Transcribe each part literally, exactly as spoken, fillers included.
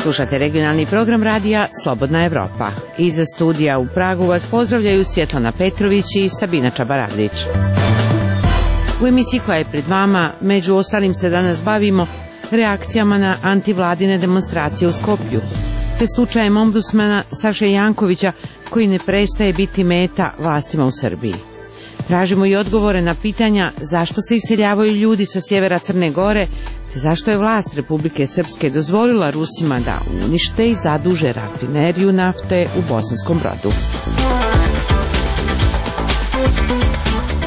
Slušate regionalni program radija Slobodna Evropa. Iza studija u Pragu vas pozdravljaju Svjetlana Petrović i Sabina Čabaradić. U emisiji koja je pred vama, među ostalim se danas bavimo reakcijama na antivladine demonstracije u Skoplju, te slučajem ombudsmana Saše Jankovića koji ne prestaje biti meta vlastima u Srbiji. Tražimo i odgovore na pitanja zašto se iseljavaju ljudi sa sjevera Crne Gore, te zašto je vlast Republike Srpske dozvolila Rusima da unište i zaduže rafineriju nafte u Bosanskom Brodu.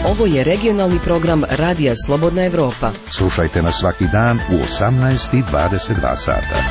Ovo je regionalni program Radija Slobodna Evropa. Slušajte nas svaki dan u osamnaest i dvadeset dva sata.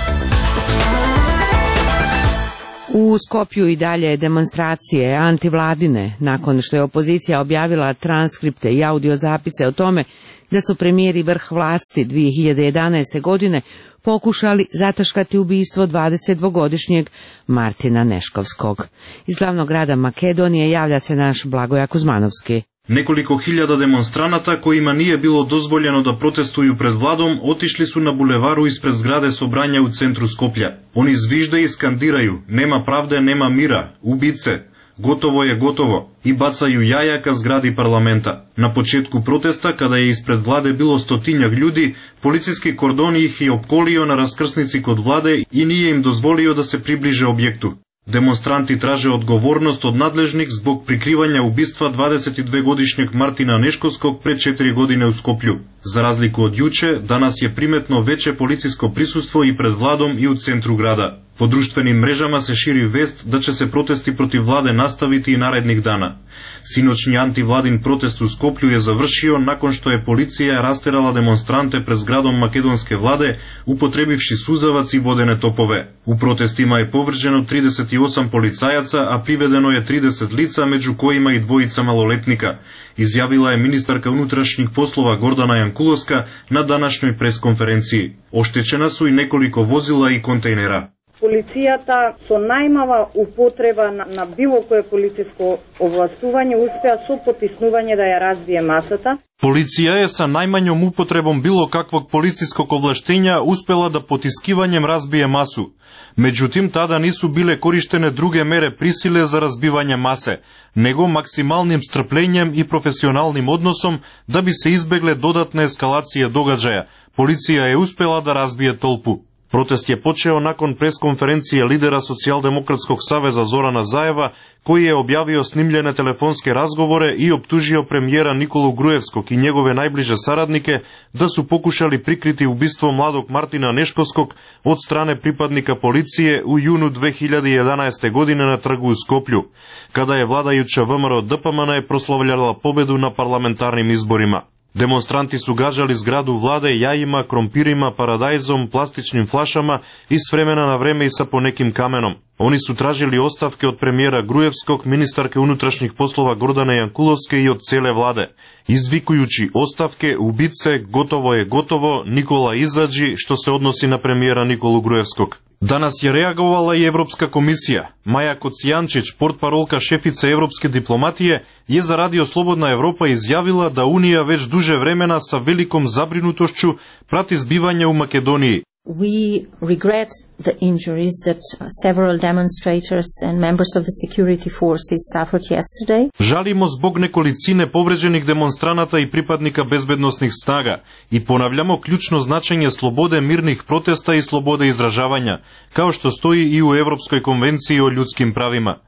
U Skopju i dalje demonstracije antivladine, nakon što je opozicija objavila transkripte i audiozapise o tome da su premijer i vrh vlasti dvije hiljade jedanaeste. godine pokušali zataškati ubistvo dvadesetdvogodišnjeg Martina Neškovskog. Iz glavnog grada Makedonije javlja se naš Blagoja Kuzmanovski. Nekoliko hiljada demonstranata kojima nije bilo dozvoljeno da protestuju pred vladom otišli su na bulevaru ispred zgrade Sobranja u centru Skoplja. Oni zvižde i skandiraju: nema pravde, nema mira, ubice, gotovo je gotovo, i bacaju jaja ka zgradi parlamenta. Na početku protesta, kada je ispred vlade bilo stotinjak ljudi, policijski kordon ih je opkolio na raskrsnici kod vlade i nije im dozvolio da se približe objektu. Demonstranti traže odgovornost od nadležnih zbog prikrivanja ubistva dvadesetdvogodišnjeg Martina Neškovskog pre četiri godine u Skoplju. Za razliku od juče, danas je primetno veće policijsko prisustvo i pred vladom i u centru grada. Po društvenim mrežama se širi vest da će se protesti protiv vlade nastaviti i narednih dana. Sinoćni antivladin protest u Skoplju je završio nakon što je policija rasterala demonstrante pred zgradom makedonske vlade upotrebivši suzavac i vodene topove. U protestima je povređeno trideset osam policajaca, a privedeno je trideset lica, među kojima i dvojica maloletnika, izjavila je ministarka unutrašnjih poslova Gordana Jankulovska na današnjoj preskonferenciji. Oštećena su i nekoliko vozila i kontejnera. Полицијата со најмала употреба на, на било кое полициско овластување успеа со потиснување да ја разбие масата. Полиција е sa најмањом употребом било каквог полицијскog овлаштења успела да потискивањем разбие масу. Меđutim, тада нису биле кориштене друге мере присиле за разбивање масе, него максималним стрплењем и професионалним односом да би се избегле додатна ескалација догаđаја. Полиција е успела да разбие толпу. Протест je počeo nakon preskonferencije lidera Socijaldemokratskog saveza Zorana Zaeva, koji je objavio snimljene telefonske razgovore i optužio premijera Nikolu Grujevskog i njegove najbliže saradnike da su pokušali prikriti ubistvo mladog Martina Neškovskog od strane pripadnika policije u junu dve hiljade jedanaeste. godine na trgu u Skoplju, kada je vladajuća V M R O D P M N je proslavljala pobedu na parlamentarnim izborima. Demonstranti su gađali zgradu vlade jajima, krompirima, paradajzom, plastičnim flašama i s vremena na vreme i sa ponekim kamenom. Oni su tražili ostavke od premijera Grujevskog, ministarke unutrašnjih poslova Gordane Jankulovske i od cele vlade, izvikujući ostavke, ubice, gotovo je gotovo, Nikola izađi, što se odnosi na premijera Nikolu Grujevskog. Danas je reagovala i Evropska komisija. Maja Kocijančić, portparolka šefice evropske diplomatije, je za Radio Slobodna Evropa izjavila da Unija već duže vremena sa velikom zabrinutošću prati zbivanja u Makedoniji. We regret the injuries that several demonstrators and members of the security forces suffered yesterday. Žalimo zbog nekolicine povređenih demonstranata i pripadnika bezbednosnih snaga i ponavljamo ključno značenje slobode mirnih protesta i slobode izražavanja, kao što stoji i u Evropskoj konvenciji o ljudskim pravima.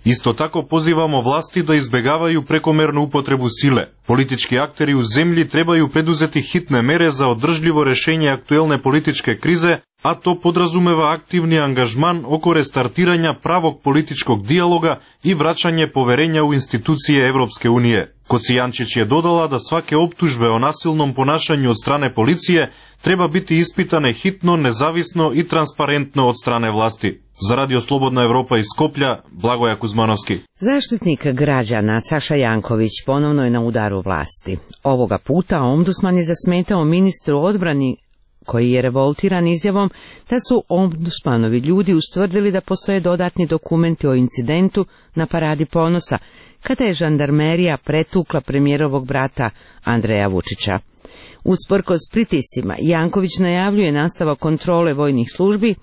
Isto tako pozivamo vlasti da izbegavaju prekomernu upotrebu sile. Politički akteri u zemlji trebaju preduzeti hitne mere za održljivo rešenje aktuelne političke krize, a to podrazumeva aktivni angažman oko restartiranja pravog političkog dijaloga i vraćanje poverenja u institucije Evropske unije. Kocijančić je dodala da svake optužbe o nasilnom ponašanju od strane policije treba biti ispitane hitno, nezavisno i transparentno od strane vlasti. Za Radio Slobodna Evropa iz Skoplja, Blagoja Kuzmanovski. Zaštitnik građana Saša Janković ponovno je na udaru vlasti. Ovoga puta ombudsman je zasmetao ministru odbrani koji je revoltiran izjavom da su ombudsmanovi ljudi ustvrdili da postoje dodatni dokumenti o incidentu na Paradi ponosa, kada je žandarmerija pretukla premijerovog brata Andreja Vučića. Usprkos pritiscima, Janković najavljuje nastavak kontrole vojnih službi,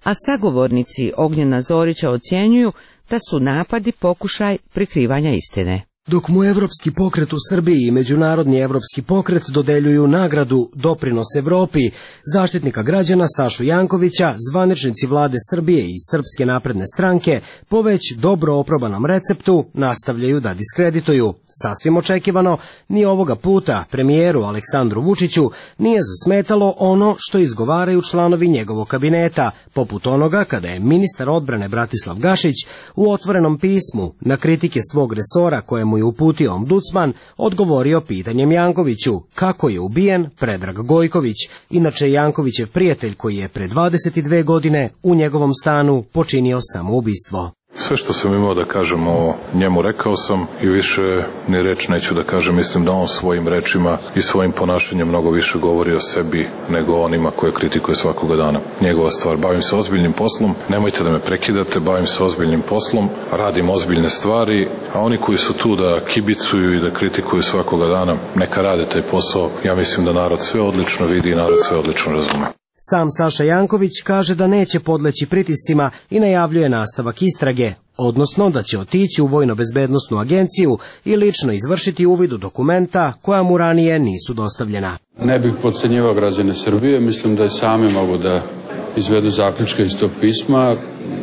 a sagovornici Ognjena Zorića ocjenjuju da su napadi pokušaj prikrivanja istine. Dok mu Evropski pokret u Srbiji i Međunarodni evropski pokret dodeljuju nagradu Doprinos Evropi, zaštitnika građana Sašu Jankovića, zvaničnici vlade Srbije i Srpske napredne stranke po već dobro oprobanom receptu nastavljaju da diskredituju. Sasvim očekivano, ni ovoga puta premijeru Aleksandru Vučiću nije zasmetalo ono što izgovaraju članovi njegovog kabineta, poput onoga kada je ministar odbrane Bratislav Gašić u otvorenom pismu na kritike svog resora koje mu je uputio ombudsman odgovorio pitanjem Jankoviću kako je ubijen Predrag Gojković, inače Jankovićev prijatelj koji je pre dvadeset dve godine u njegovom stanu počinio samoubistvo. Sve što sam imao da kažem o njemu rekao sam i više ni reč neću da kažem. Mislim da on svojim rečima i svojim ponašanjem mnogo više govori o sebi nego onima koje kritikuje svakoga dana. Njegova stvar. Bavim se ozbiljnim poslom, nemojte da me prekidate, bavim se ozbiljnim poslom, radim ozbiljne stvari, a oni koji su tu da kibicuju i da kritikuju svakoga dana, neka rade taj posao. Ja mislim da narod sve odlično vidi i narod sve odlično razume. Sam Saša Janković kaže da neće podleći pritiscima i najavljuje nastavak istrage, odnosno da će otići u Vojno-bezbednosnu agenciju i lično izvršiti uvid u dokumenta koja mu ranije nisu dostavljena. Ne bih podcenjivao građane Srbije, mislim da i sami mogu da izvedu zaključke iz tog pisma.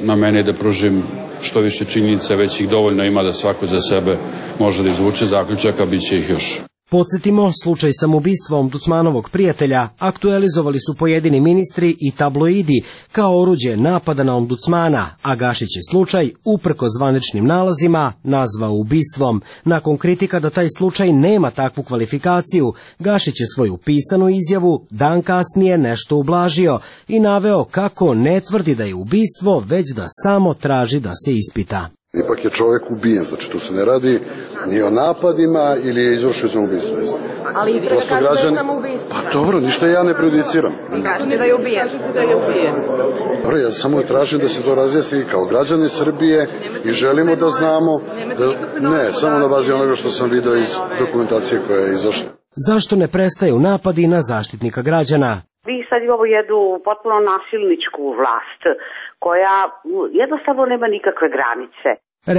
Na mene je da pružim što više činjenica, već ih dovoljno ima da svako za sebe može da izvuče zaključaka, bit će ih još. Podsjetimo, slučaj samoubistva ombudsmanovog prijatelja aktualizovali su pojedini ministri i tabloidi kao oruđe napada na ombudsmana, a Gašić je slučaj, uprko zvaničnim nalazima, nazvao ubistvom. Nakon kritika da taj slučaj nema takvu kvalifikaciju, Gašić je svoju pisanu izjavu dan kasnije nešto ublažio i naveo kako ne tvrdi da je ubistvo, već da samo traži da se ispita. Ipak je čovjek ubijen, znači tu se ne radi ni o napadima ili je izvršio samoubistvo. Ali istraga kaže da je samoubistvo. Pa dobro, ništa ja ne prejudiciram. Kažete da je ubijen. Da je ubijen. Dobro, ja samo tražim da se to razjasni kao građani Srbije i želimo da znamo da, ne, samo na bazi onoga što sam video iz dokumentacije koja je izašla. Zašto ne prestaju napadi na zaštitnika građana? Vi sad imamo jednu potpuno nasilničku vlast koja jednostavno nema nikakve granice.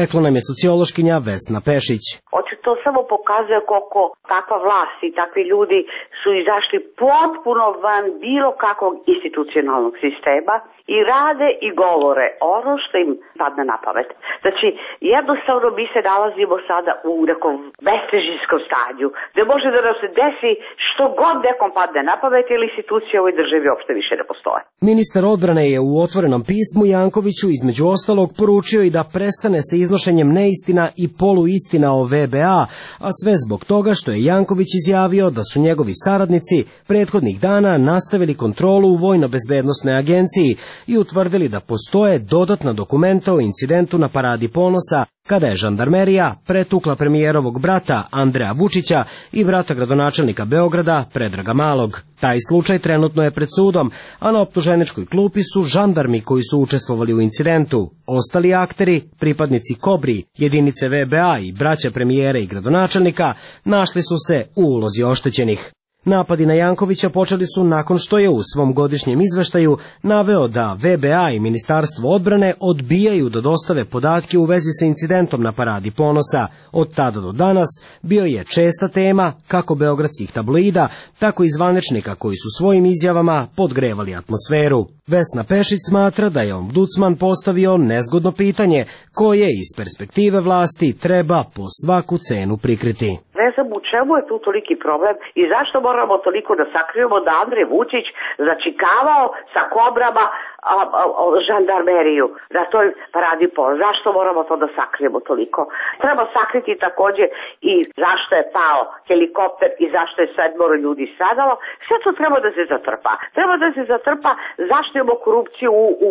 Rekla nam je sociološkinja Vesna Pešić. Očito samo pokazuje koliko takva vlast i takvi ljudi su izašli potpuno van bilo kakvog institucionalnog sistema i rade i govore ono što im padne na pamet. Znači, jednostavno mi se nalazimo sada u nekom bestežinskom stanju, gde može da nam se desi što god nekom padne na pamet, jer institucije u ovoj državi uopšte više ne postoje. Ministar odbrane je u otvorenom pismu Jankoviću između ostalog poručio i da prestane sa iznošenjem neistina i poluistina o V B A, a sve zbog toga što je Janković izjavio da su njegovi saradnici prethodnih dana nastavili kontrolu u Vojno-bezbednosnoj agenciji i utvrdili da postoje dodatna dokumenta o incidentu na Paradi ponosa kada je žandarmerija pretukla premijerovog brata Andreja Vučića i brata gradonačelnika Beograda Predraga Malog. Taj slučaj trenutno je pred sudom, a na optuženičkoj klupi su žandarmi koji su učestvovali u incidentu. Ostali akteri, pripadnici Kobri, jedinice V B A i braća premijera i gradonačelnika, našli su se u ulozi oštećenih. Napadi na Jankovića počeli su nakon što je u svom godišnjem izveštaju naveo da V B A i Ministarstvo odbrane odbijaju da dostave podatke u vezi sa incidentom na Paradi ponosa. Od tada do danas bio je česta tema kako beogradskih tabloida, tako i zvaničnika koji su svojim izjavama podgrevali atmosferu. Vesna Pešić smatra da je ombudsman postavio nezgodno pitanje koje iz perspektive vlasti treba po svaku cenu prikriti. Ne znam u čemu je tu toliki problem i zašto moramo toliko da sakrijemo da Andrej Vučić začikavao sa kobrama a, a, a, žandarmeriju na toj Paradi ponosa. Zašto moramo to da sakrijemo toliko? Treba sakriti takođe i zašto je pao helikopter i zašto je sedmoro ljudi stradalo. Sve to treba da se zatrpa. Treba da se zatrpa zašto imamo korupciju u, u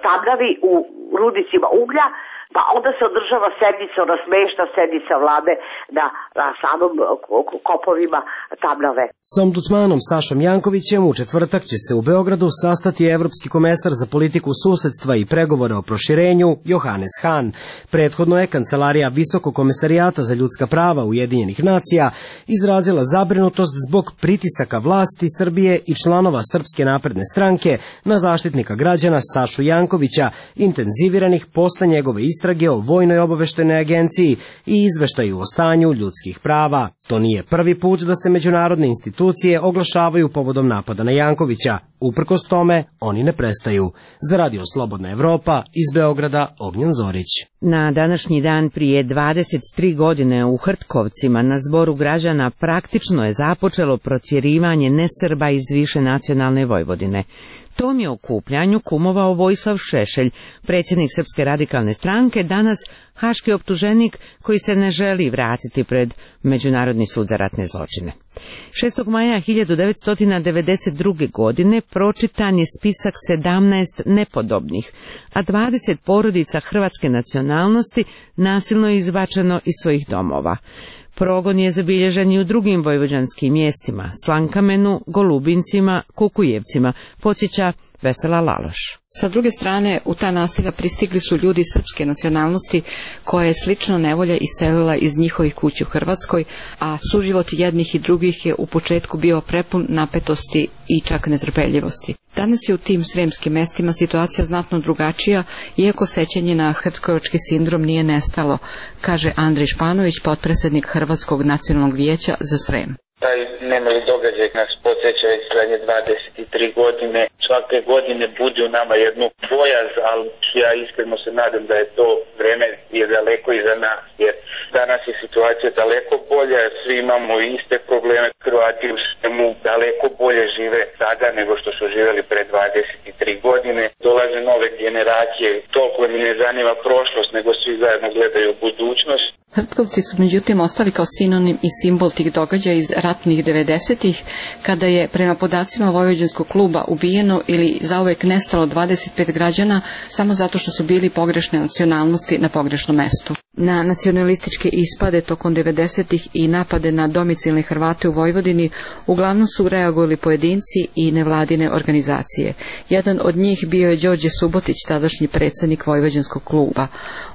Tamnavi, u rudnicima uglja. Pa onda se održava sednica, ona smešna sednica vlade na, na samom kopovima Tamnave. S ombudsmanom Sašom Jankovićem u četvrtak će se u Beogradu sastati evropski komesar za politiku susedstva i pregovore o proširenju Johannes Hahn. Prethodno je Kancelarija Visokog komesarijata za ljudska prava Ujedinjenih nacija izrazila zabrinutost zbog pritisaka vlasti Srbije i članova Srpske napredne stranke na zaštitnika građana Sašu Jankovića, intenziviranih posle njegove istrage o Vojnoj obaveštajnoj agenciji i izveštaju o stanju ljudskih prava. To nije prvi put da se međunarodne institucije oglašavaju povodom napada na Jankovića. Uprkos tome, oni ne prestaju. Za Radio Slobodna Evropa, iz Beograda, Ognjen Zorić. Na današnji dan prije dvadeset tri godine u Hrtkovcima na zboru građana praktično je započelo protjerivanje nesrba iz više nacionalne Vojvodine. Tom je okupljanju kumovao Vojislav Šešelj, predsjednik Srpske radikalne stranke, danas haški optuženik koji se ne želi vratiti pred Međunarodni sud za ratne zločine. šestog maja hiljadu devetsto devedeset druge. godine pročitan je spisak sedamnaest nepodobnih, a dvadeset porodica hrvatske nacionalnosti nasilno je izbačeno iz svojih domova. Progon je zabilježen i u drugim vojvođanskim mjestima, Slankamenu, Golubincima, Kukujevcima, podsjeća Vesela Laloš. Sa druge strane, u ta naselja pristigli su ljudi srpske nacionalnosti koje je slično nevolja iselila iz njihovih kuća u Hrvatskoj, a suživot jednih i drugih je u početku bio prepun napetosti i čak netrpeljivosti. Danas je u tim sremskim mestima situacija znatno drugačija, iako sećanje na hrtkovački sindrom nije nestalo, kaže Andrej Španović, potpredsjednik Hrvatskog nacionalnog vijeća za Srem. Taj nemali događaj nas podsjeća već zadnje dvadeset tri godine. Svake godine budi u nama jednu bojaz, ali ja iskreno se nadam da je to vreme je daleko iza nas, jer danas je situacija daleko bolja, svi imamo iste probleme, Hrvati u svemu daleko bolje žive sada nego što su živjeli pre dvadeset tri godine. Dolaze nove generacije, toliko mi ne zanima prošlost, nego svi zajedno gledaju budućnost. Hrtkovci su međutim ostali kao sinonim i simbol tih događaja iz ratnih devedesetih, kada je prema podacima Vojvođanskog kluba ubijeno ili zauvek nestalo dvadeset pet građana samo zato što su bili pogrešne nacionalnosti na pogrešnom mestu. Na nacionalističke ispade tokom devedesetih i napade na domicilne Hrvate u Vojvodini uglavnom su reagovali pojedinci i nevladine organizacije. Jedan od njih bio je Đorđe Subotić, tadašnji predsjednik Vojvođanskog kluba.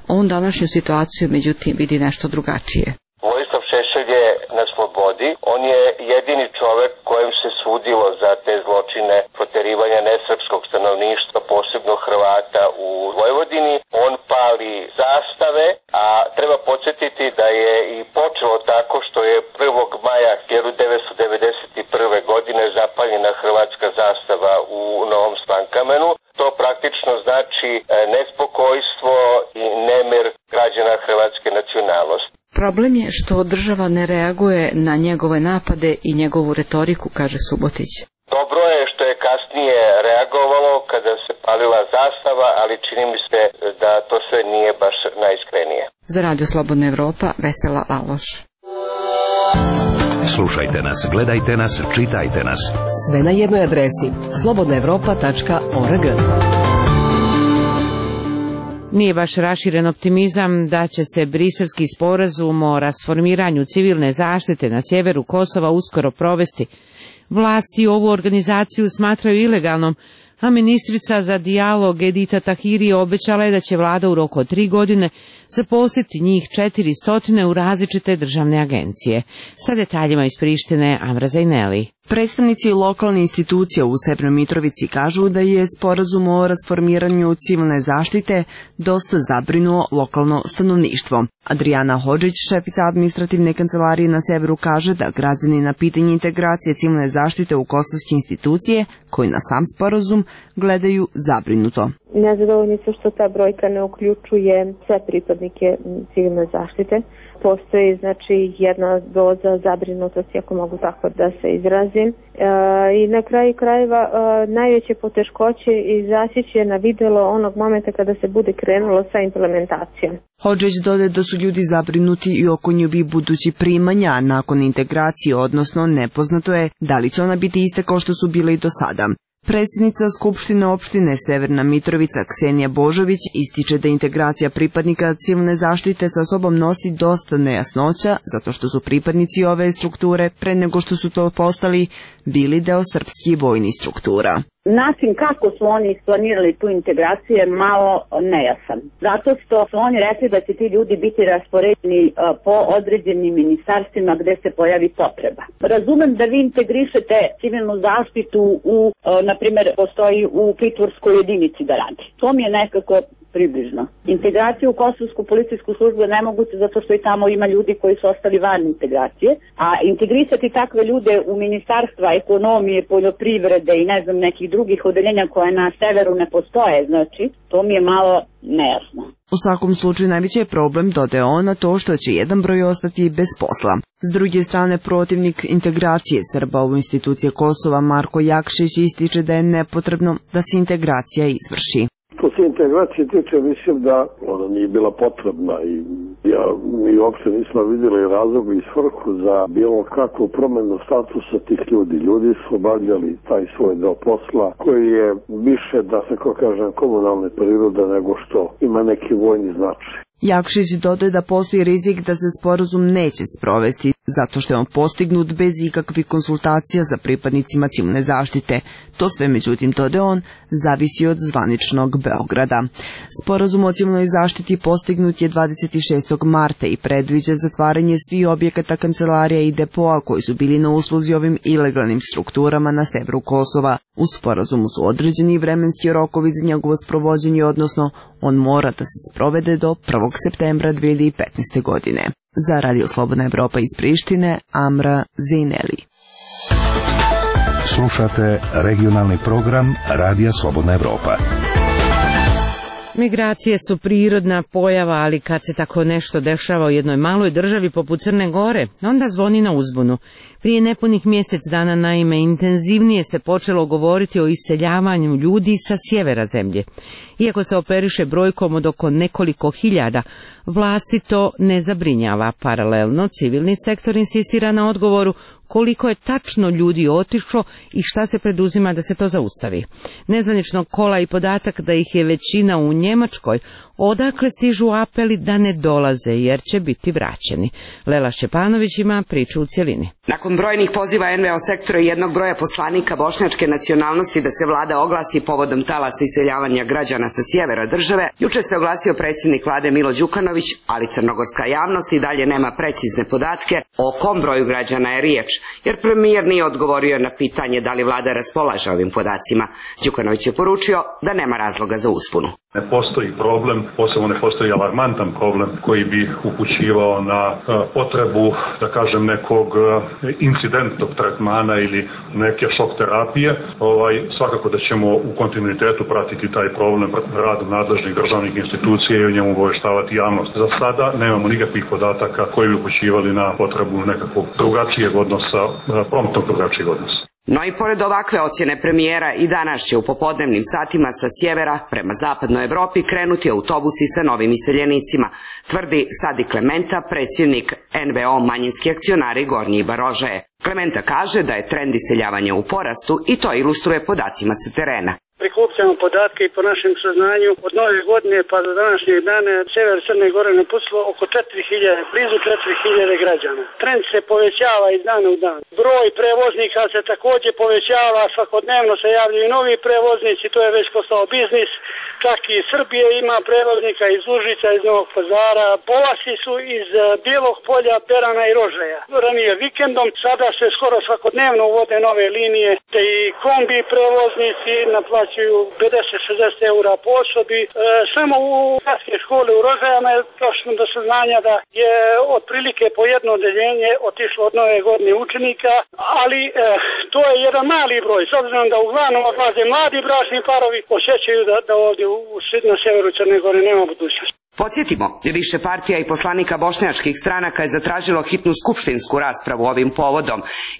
On današnju situaciju međutim vidi nešto drugačije. Vojislav Šešelj je na slobodi. On je jedini čovjek kojem se sudilo za te zločine proterivanja nesrpskog stanovništva, posebno Hrvata u Vojvodini. On pali zastave, a treba podsjetiti da je i počelo tako što je prvog maja hiljadu devetsto devedeset prve. godine zapaljena hrvatska zastava u Novom Slankamenu. To praktično znači nespokojstvo i nemir građana hrvatske nacionalnosti. Problem je što država ne reaguje na njegove napade i njegovu retoriku, kaže Subotić. Dobro je što je kasnije reagovalo kada se palila zastava, ali čini mi se da to sve nije baš najiskrenije. Za Radio Slobodna Evropa, Vesela Laloš. Slušajte nas, gledajte nas, čitajte nas. Sve na jednoj adresi slobodna evropa tačka org. Nije baš raširen optimizam da će se briselski sporazum o rasformiranju civilne zaštite na sjeveru Kosova uskoro provesti. Vlasti ovu organizaciju smatraju ilegalnom, a ministrica za dijalog Edita Tahiri obećala je da će vlada u roku od tri godine zaposliti njih četiri stotine u različite državne agencije. Sa detaljima iz Prištine, Amra Zajneli. Predstavnici lokalne institucije u Severnoj Mitrovici kažu da je sporazum o rasformiranju civilne zaštite dosta zabrinuo lokalno stanovništvo. Adriana Hodžić, šefica administrativne kancelarije na severu, kaže da građani na pitanje integracije civilne zaštite u kosovske institucije, koji na sam sporazum gledaju zabrinuto. Nezadovoljni su što ta brojka ne uključuje sve pripadnike civilne zaštite. Postoji znači jedna doza zabrinutosti, ako mogu tako da se izrazim. E, I na kraju krajeva e, najveće poteškoće izaći će na videlo onog momenta kada se bude krenulo sa implementacijom. Hodžić dodaje da su ljudi zabrinuti i oko njihovih budućih primanja nakon integracije, odnosno nepoznato je da li će ona biti iste kao što su bile i do sada. Predsjednica Skupštine opštine Severna Mitrovica Ksenija Božović ističe da integracija pripadnika civilne zaštite sa sobom nosi dosta nejasnoća, zato što su pripadnici ove strukture, pre nego što su to postali, bili deo srpskih vojnih struktura. Način kako su oni isplanirali tu integraciju je malo nejasan. Zato što su oni rekli da će ti ljudi biti raspoređeni po određenim ministarstvima gde se pojavi potreba. Razumem da vi integrišete civilnu zaštitu u, na primjer, postoji u pritvorskoj jedinici da radi. To mi je nekako približno. Integracija u Kosovsku policijsku službu je nemoguće zato što i tamo ima ljudi koji su ostali van integracije, a integrisati takve ljude u ministarstva ekonomije, poljoprivrede i ne znam nekih drugih odeljenja koje na severu ne postoje, znači, to mi je malo nejasno. U svakom slučaju najveći je problem, dodaje ona, to što će jedan broj ostati bez posla. S druge strane, protivnik integracije Srba u institucije Kosova Marko Jakšić ističe da je nepotrebno da se integracija izvrši. Što se integracije tiče, mislim da ona nije bila potrebna i ja, mi uopšte nismo vidjeli razlog i svrhu za bilo kakvu promjenu statusa tih ljudi. Ljudi su obavljali taj svoj deo posla koji je više, da se ko kažem, komunalne prirode nego što ima neki vojni značaj. Jakšić dodaje da postoji rizik da se sporazum neće sprovesti, zato što je on postignut bez ikakvih konsultacija sa pripadnicima civilne zaštite. To sve, međutim, dodaje on, zavisi od zvaničnog Beograda. Sporazum o civilnoj zaštiti postignut je dvadeset šestog marta i predviđa zatvaranje svih objekata, kancelarija i depoa koji su bili na usluzi ovim ilegalnim strukturama na severu Kosova. U sporazumu su određeni vremenski rokovi za njegovo sprovođenje, odnosno on mora da se sprovede do prvog septembra dve hiljade petnaeste. godine. Za Radio Slobodna Evropa iz Prištine, Amra Zejneli. Slušate regionalni program Radija Slobodna Evropa. Migracije su prirodna pojava, ali kad se tako nešto dešava u jednoj maloj državi poput Crne Gore, onda zvoni na uzbunu. Prije nepunih mjesec dana, naime, intenzivnije se počelo govoriti o iseljavanju ljudi sa sjevera zemlje. Iako se operiše brojkom od oko nekoliko hiljada, vlasti to ne zabrinjava. Paralelno, civilni sektor insistira na odgovoru koliko je tačno ljudi otišlo i šta se preduzima da se to zaustavi. Nezvaničnog kola i podatak da ih je većina u Njemačkoj, odakle stižu apeli da ne dolaze jer će biti vraćeni. Lela Šćepanović ima priču u cjelini. Nakon brojnih poziva en ve o sektora i jednog broja poslanika bošnjačke nacionalnosti da se vlada oglasi povodom talasa iseljavanja građana sa sjevera države, juče se oglasio predsjednik vlade Milo Đukanović, ali crnogorska javnost i dalje nema precizne podatke o kom broju građana je riječ, jer premijer nije odgovorio na pitanje da li vlada raspolaže ovim podacima. Đukanović je poručio da nema razloga za uspunu. Ne postoji problem, posebno ne postoji alarmantan problem koji bi upućivao na potrebu, da kažem, nekog incidentnog tretmana ili neke šok terapije. Ovaj, svakako da ćemo u kontinuitetu pratiti taj problem radu nadležnih državnih institucija i o njemu obaveštavati javnost. Za sada nemamo nikakvih podataka koji bi upućivali na potrebu nekakvog drugačijeg odnosa, promptnog drugačijeg odnosa. No i pored ovakve ocjene premijera i danas će u popodnevnim satima sa sjevera prema zapadnoj Evropi krenuti autobusi sa novim iseljenicima, tvrdi Sadi Klementa, predsjednik en ve o manjinski akcionari Gornji Barožaje. Klementa kaže da je trend iseljavanja u porastu i to ilustruje podacima sa terena. Prikupljamo podatke i po našem saznanju od nove godine pa do današnjeg dana sever Crne Gore napustilo oko četiri hiljade, blizu četiri hiljade građana. Trend se povećava iz dana u dan. Broj prevoznika se također povećava, svakodnevno se javljaju novi prevoznici, to je već postao biznis. Čak i Srbije ima prevoznika iz Užica, iz Novog Pazara. Polasi su iz Bijelog Polja, Perana i Rožaja. Ranije vikendom, sada se skoro svakodnevno uvode nove linije, te i kombi prevoznici naplaćuju pedeset do šezdeset eura po osobi. E, samo u gradske škole u Rožajama je došlo do saznanja da je otprilike po jedno odeljenje otišlo od nove godine učenika, ali e, to je jedan mali broj, s obzirom da uglavnom odlaze mladi bračni parovi, osjećaju da, da ovdje na severu Crne Gore nema budućnosti. Podsjetimo, više partija i poslanika bošnjačkih stranaka je zatražilo hitnu skupštinsku raspravu ovim povodom.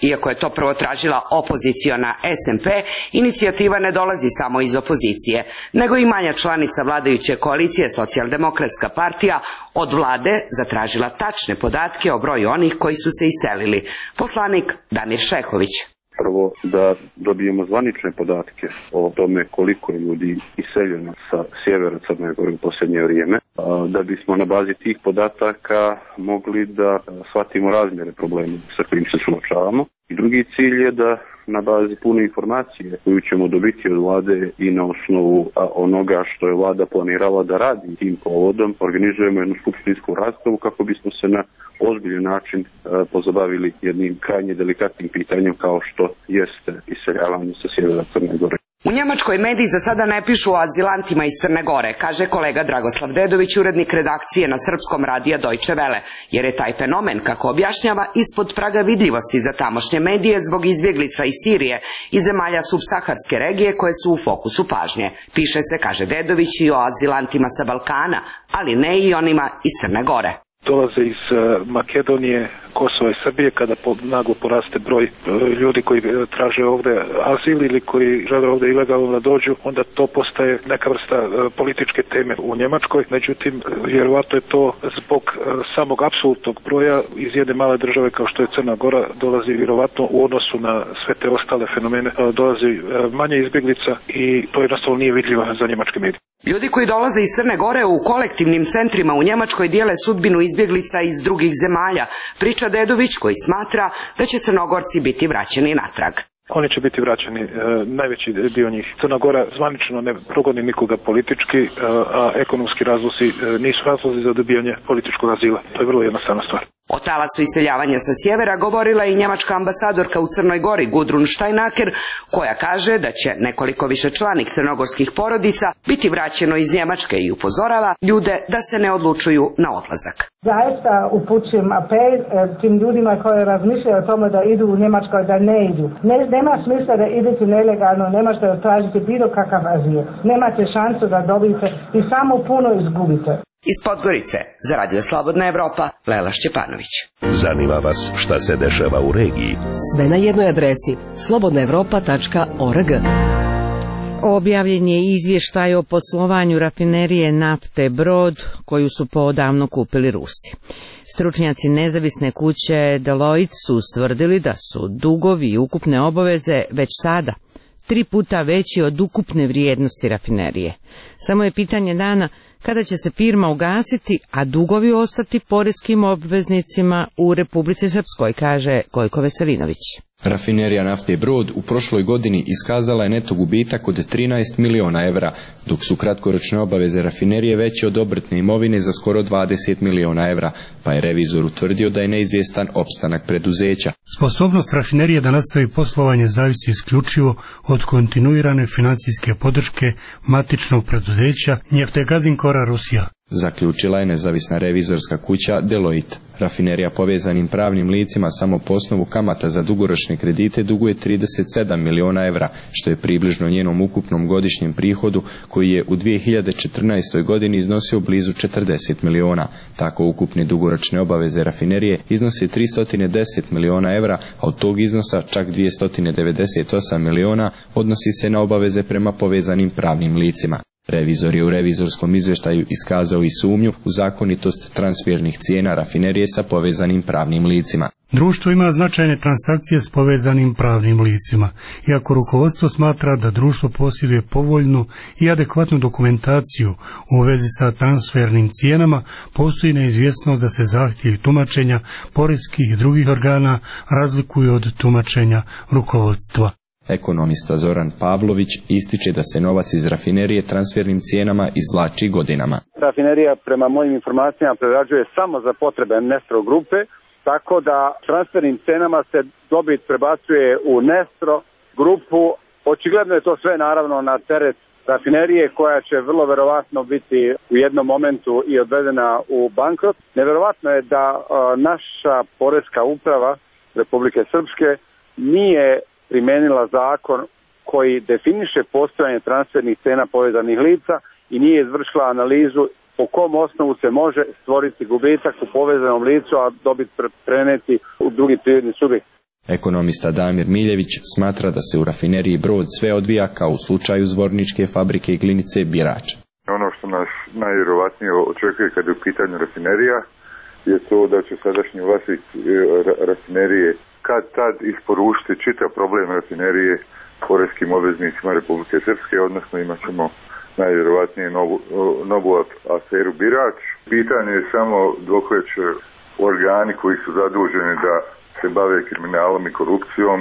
Iako je to prvo tražila opoziciona es em pe, inicijativa ne dolazi samo iz opozicije, nego i manja članica vladajuće koalicije Socijaldemokratska partija od vlade zatražila tačne podatke o broju onih koji su se iselili. Poslanik Damir Šehović. Prvo zapravo da dobijemo zvanične podatke o tome koliko je ljudi iseljeno sa sjevera Crne Gore u posljednje vrijeme, da bismo na bazi tih podataka mogli da shvatimo razmjere problema sa kojim se suočavamo. I drugi cilj je da na bazi pune informacije koju ćemo dobiti od vlade i na osnovu onoga što je vlada planirala da radi tim povodom, organizujemo jednu skupštinsku raspravu kako bismo se na ozbiljan način pozabavili jednim krajnje delikatnim pitanjem kao što jeste iseljavanje sa sjevera Crne Gore. U Njemačkoj mediji za sada ne pišu o azilantima iz Crne Gore, kaže kolega Dragoslav Dedović, urednik redakcije na srpskom radija Deutsche Welle, jer je taj fenomen, kako objašnjava, ispod praga vidljivosti za tamošnje medije zbog izbjeglica iz Sirije i zemalja subsaharske regije koje su u fokusu pažnje. Piše se, kaže Dedović, i o azilantima sa Balkana, ali ne i onima iz Crne Gore. Dolaze iz Makedonije, Kosova i Srbije kada po, naglo poraste broj ljudi koji traže ovde azil ili koji žele ovde ilegalno da dođu, onda to postaje neka vrsta političke teme u Njemačkoj. Međutim, vjerovatno je to zbog samog apsolutnog broja iz jedne male države kao što je Crna Gora dolazi vjerovatno u odnosu na sve te ostale fenomene, dolazi manje izbjeglica i to jednostavno nije vidljivo za njemačke medije. Ljudi koji dolaze iz Crne Gore u kolektivnim centrima u Njemačkoj dijele sudbinu izbjeglica iz drugih zemalja, priča Dedović, koji smatra da će Crnogorci biti vraćeni natrag. Oni će biti vraćeni, e, najveći dio njih. Crna Gora zvanično ne progoni nikoga politički, e, a ekonomski razlozi e, nisu razlozi za dobijanje političkog azila. To je vrlo jednostavna stvar. O talasu iseljavanja sa sjevera govorila je i njemačka ambasadorka u Crnoj Gori Gudrun Steinhacker, koja kaže da će nekoliko višečlanih crnogorskih porodica biti vraćeno iz Njemačke i upozorava ljude da se ne odlučuju na odlazak. Zaista upućujem apel tim ljudima koji razmišljaju o tome da idu u Njemačkoj, da ne idu. Ne, nema smisla da idete nelegalno, nema što da tražite bilo kakav azil. Nemate šansu da dobijete i samo puno izgubite. Iz Podgorice, za Radio Slobodna Evropa, Lela Šćepanović. Zanima vas šta se dešava u regiji? Sve na jednoj adresi slobodna evropa tačka org. Objavljen je izvještaj o poslovanju rafinerije nafte Brod, koju su poodavno kupili Rusi. Stručnjaci nezavisne kuće Deloitte su ustvrdili da su dugovi i ukupne obaveze već sada tri puta veći od ukupne vrijednosti rafinerije. Samo je pitanje dana kada će se firma ugasiti, a dugovi ostati poreskim obveznicima u Republici Srpskoj, kaže Gojko Veselinović. Rafinerija nafte Brod u prošloj godini iskazala je neto gubitak od trinaest miliona evra, dok su kratkoročne obaveze rafinerije veće od obrtne imovine za skoro dvadeset miliona evra, pa je revizor utvrdio da je neizvjestan opstanak preduzeća. Sposobnost rafinerije da nastavi poslovanje zavisi isključivo od kontinuirane financijske podrške matičnog preduzeća Njeftegazinkora Rusija, zaključila je nezavisna revizorska kuća Deloitte. Rafinerija povezanim pravnim licima samo po osnovu kamata za dugoročne kredite duguje trideset sedam miliona evra, što je približno njenom ukupnom godišnjem prihodu koji je u dvije hiljade četrnaestoj godini iznosio blizu četrdeset miliona. Tako ukupne dugoročne obaveze rafinerije iznose tristo deset miliona evra, a od tog iznosa čak dvjesto devedeset osam miliona odnosi se na obaveze prema povezanim pravnim licima. Revizor je u revizorskom izvještaju iskazao i sumnju u zakonitost transfernih cijena rafinerije sa povezanim pravnim licima. Društvo ima značajne transakcije s povezanim pravnim licima, iako rukovodstvo smatra da društvo posjeduje povoljnu i adekvatnu dokumentaciju u vezi sa transfernim cijenama, postoji neizvjesnost da se zahtjevi tumačenja poreskih i drugih organa razlikuju od tumačenja rukovodstva. Ekonomista Zoran Pavlović ističe da se novac iz rafinerije transfernim cijenama izvlači godinama. Rafinerija prema mojim informacijama prerađuje samo za potrebe Nestro grupe, tako da transfernim cijenama se dobit prebacuje u Nestro grupu. Očigledno je to sve naravno na teret rafinerije koja će vrlo verovatno biti u jednom momentu i odvedena u bankrot. Neverovatno je da a, naša poreska uprava Republike Srpske nije primenila zakon koji definiše postojanje transfernih cena povezanih lica i nije izvršila analizu po kom osnovu se može stvoriti gubitak u povezanom licu, a dobit preneti u drugi privredni subjekt. Ekonomista Damir Miljević smatra da se u rafineriji Brod sve odvija kao u slučaju Zvorničke fabrike i Glinice Birač. Ono što nas najvjerovatnije očekuje kad je u pitanju rafinerija je to da će sadašnji vlasnik rafinerije kad tad isporučiti čitav problem rafinerije poreskim obveznicima Republike Srpske, odnosno imat ćemo najvjerovatnije novu, novu aferu Birač. Pitanje je samo dokle će organi koji su zaduženi da se bave kriminalom i korupcijom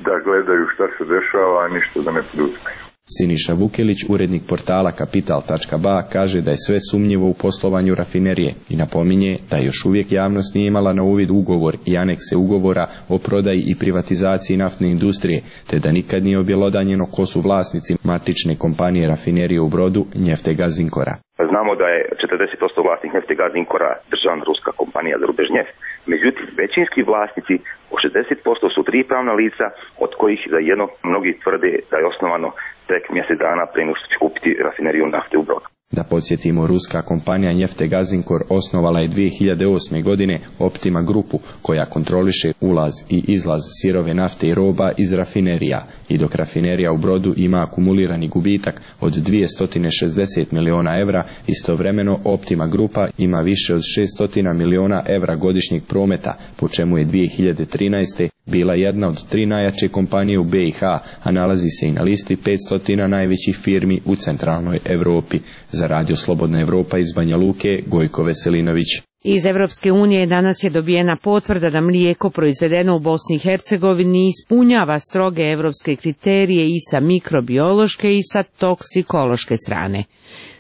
da gledaju šta se dešava, a ništa da ne poduzimaju. Siniša Vukelić, urednik portala kapital tačka ba, kaže da je sve sumnjivo u poslovanju rafinerije i napominje da još uvijek javnost nije imala na uvid ugovor i anekse ugovora o prodaji i privatizaciji naftne industrije, te da nikad nije objelodanjeno ko su vlasnici matične kompanije rafinerije u Brodu Neftegaz Zinkora. Znamo da je četrdeset posto vlasnik Neftegaz Zinkora državna ruska kompanija za Rubežnjef. Međutim, većinski vlasnici o šezdeset posto su tri pravna lica, od kojih za jedno mnogi tvrde da je osnovano tek mjesec dana prije nego što će kupiti rafineriju nafte u Brodu. Da podsjetimo, ruska kompanija Neftegaz Zinkor osnovala je dvije hiljade osme. godine Optima grupu, koja kontroliše ulaz i izlaz sirove nafte i roba iz rafinerija, i dok rafinerija u Brodu ima akumulirani gubitak od dvjesto šezdeset miliona evra, istovremeno Optima grupa ima više od šesto miliona evra godišnjeg prometa, po čemu je dvije hiljade trinaeste. bila jedna od tri najjače kompanije u be i ha, a nalazi se i na listi petsto najvećih firmi u centralnoj Europi. Za Radio Slobodna Evropa iz Banja Luke, Gojko Veselinović. Iz Evropske unije danas je dobijena potvrda da mlijeko proizvedeno u Bosni i Hercegovini ispunjava stroge evropske kriterije i sa mikrobiološke i sa toksikološke strane.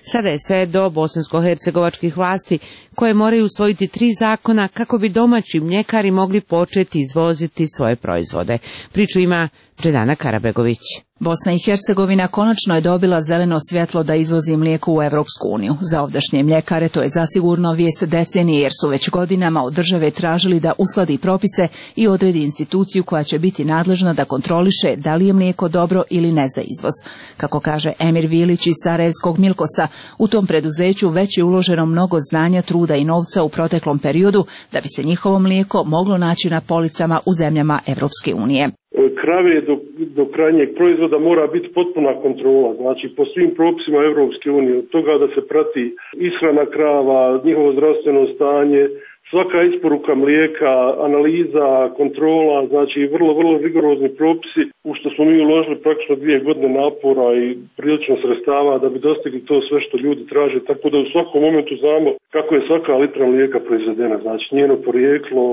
Sada je sve do bosansko-hercegovačkih vlasti koje moraju usvojiti tri zakona kako bi domaći mljekari mogli početi izvoziti svoje proizvode. Priču ima Džedana Karabegović. Bosna i Hercegovina konačno je dobila zeleno svjetlo da izvozi mlijeko u Evropsku uniju. Za ovdašnje mljekare to je zasigurno vijest decenije, jer su već godinama od države tražili da uskladi propise i odredi instituciju koja će biti nadležna da kontroliše da li je mlijeko dobro ili ne za izvoz. Kako kaže Emir Vilić iz Sarajevskog Milkosa, u tom preduzeću već je uloženo mnogo znanja, truda i novca u proteklom periodu da bi se njihovo mlijeko moglo naći na policama u zemljama Evropske unije. Krave do, do krajnjeg proizvoda mora biti potpuna kontrola, znači po svim propisima Evropske unije, od toga da se prati ishrana krava, njihovo zdravstveno stanje, svaka isporuka mlijeka, analiza, kontrola, znači vrlo, vrlo rigorozni propisi, u što smo mi uložili praktično dvije godine napora i prilično sredstava da bi dostigli to sve što ljudi traže, tako da u svakom momentu znamo kako je svaka litra mlijeka proizvedena, znači njeno porijeklo,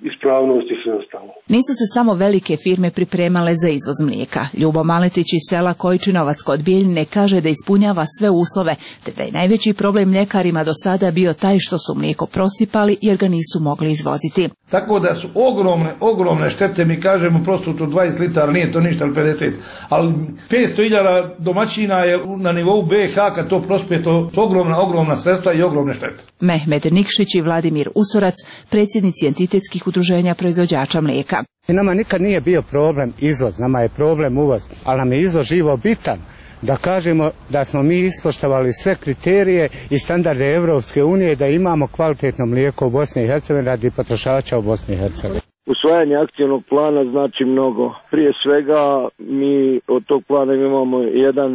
ispravnost i sve ostalo. Nisu se samo velike firme pripremale za izvoz mlijeka. Ljubo Maletić iz sela Kojčinovac kod Bijeljine kaže da ispunjava sve uslove, te da je najveći problem mljekarima do sada bio taj što su mlijeko prosipali jer ga nisu mogli izvoziti. Tako da su ogromne, ogromne štete, mi kažemo prosto to dvadeset litara, nije to ništa, ali pedeset. Ali petsto hiljada domaćina je na nivou be i ha, kad to prospije, to su ogromna, ogromna sredstva i ogromne štete. Mehmed Nikšić i Vladimir Usorac, predsjednici entitetskih udruženja proizvođača mlijeka. Nama nikad nije bio problem izvoz, nama je problem uvoz, ali nam je izvoz živo bitan. Da kažemo da smo mi ispoštovali sve kriterije i standarde Evropske unije, da imamo kvalitetno mlijeko u Bosni i Hercegovini radi potrošača u Bosni i Hercegovini. Usvajanje akcijnog plana znači mnogo. Prije svega mi od tog plana imamo jedan,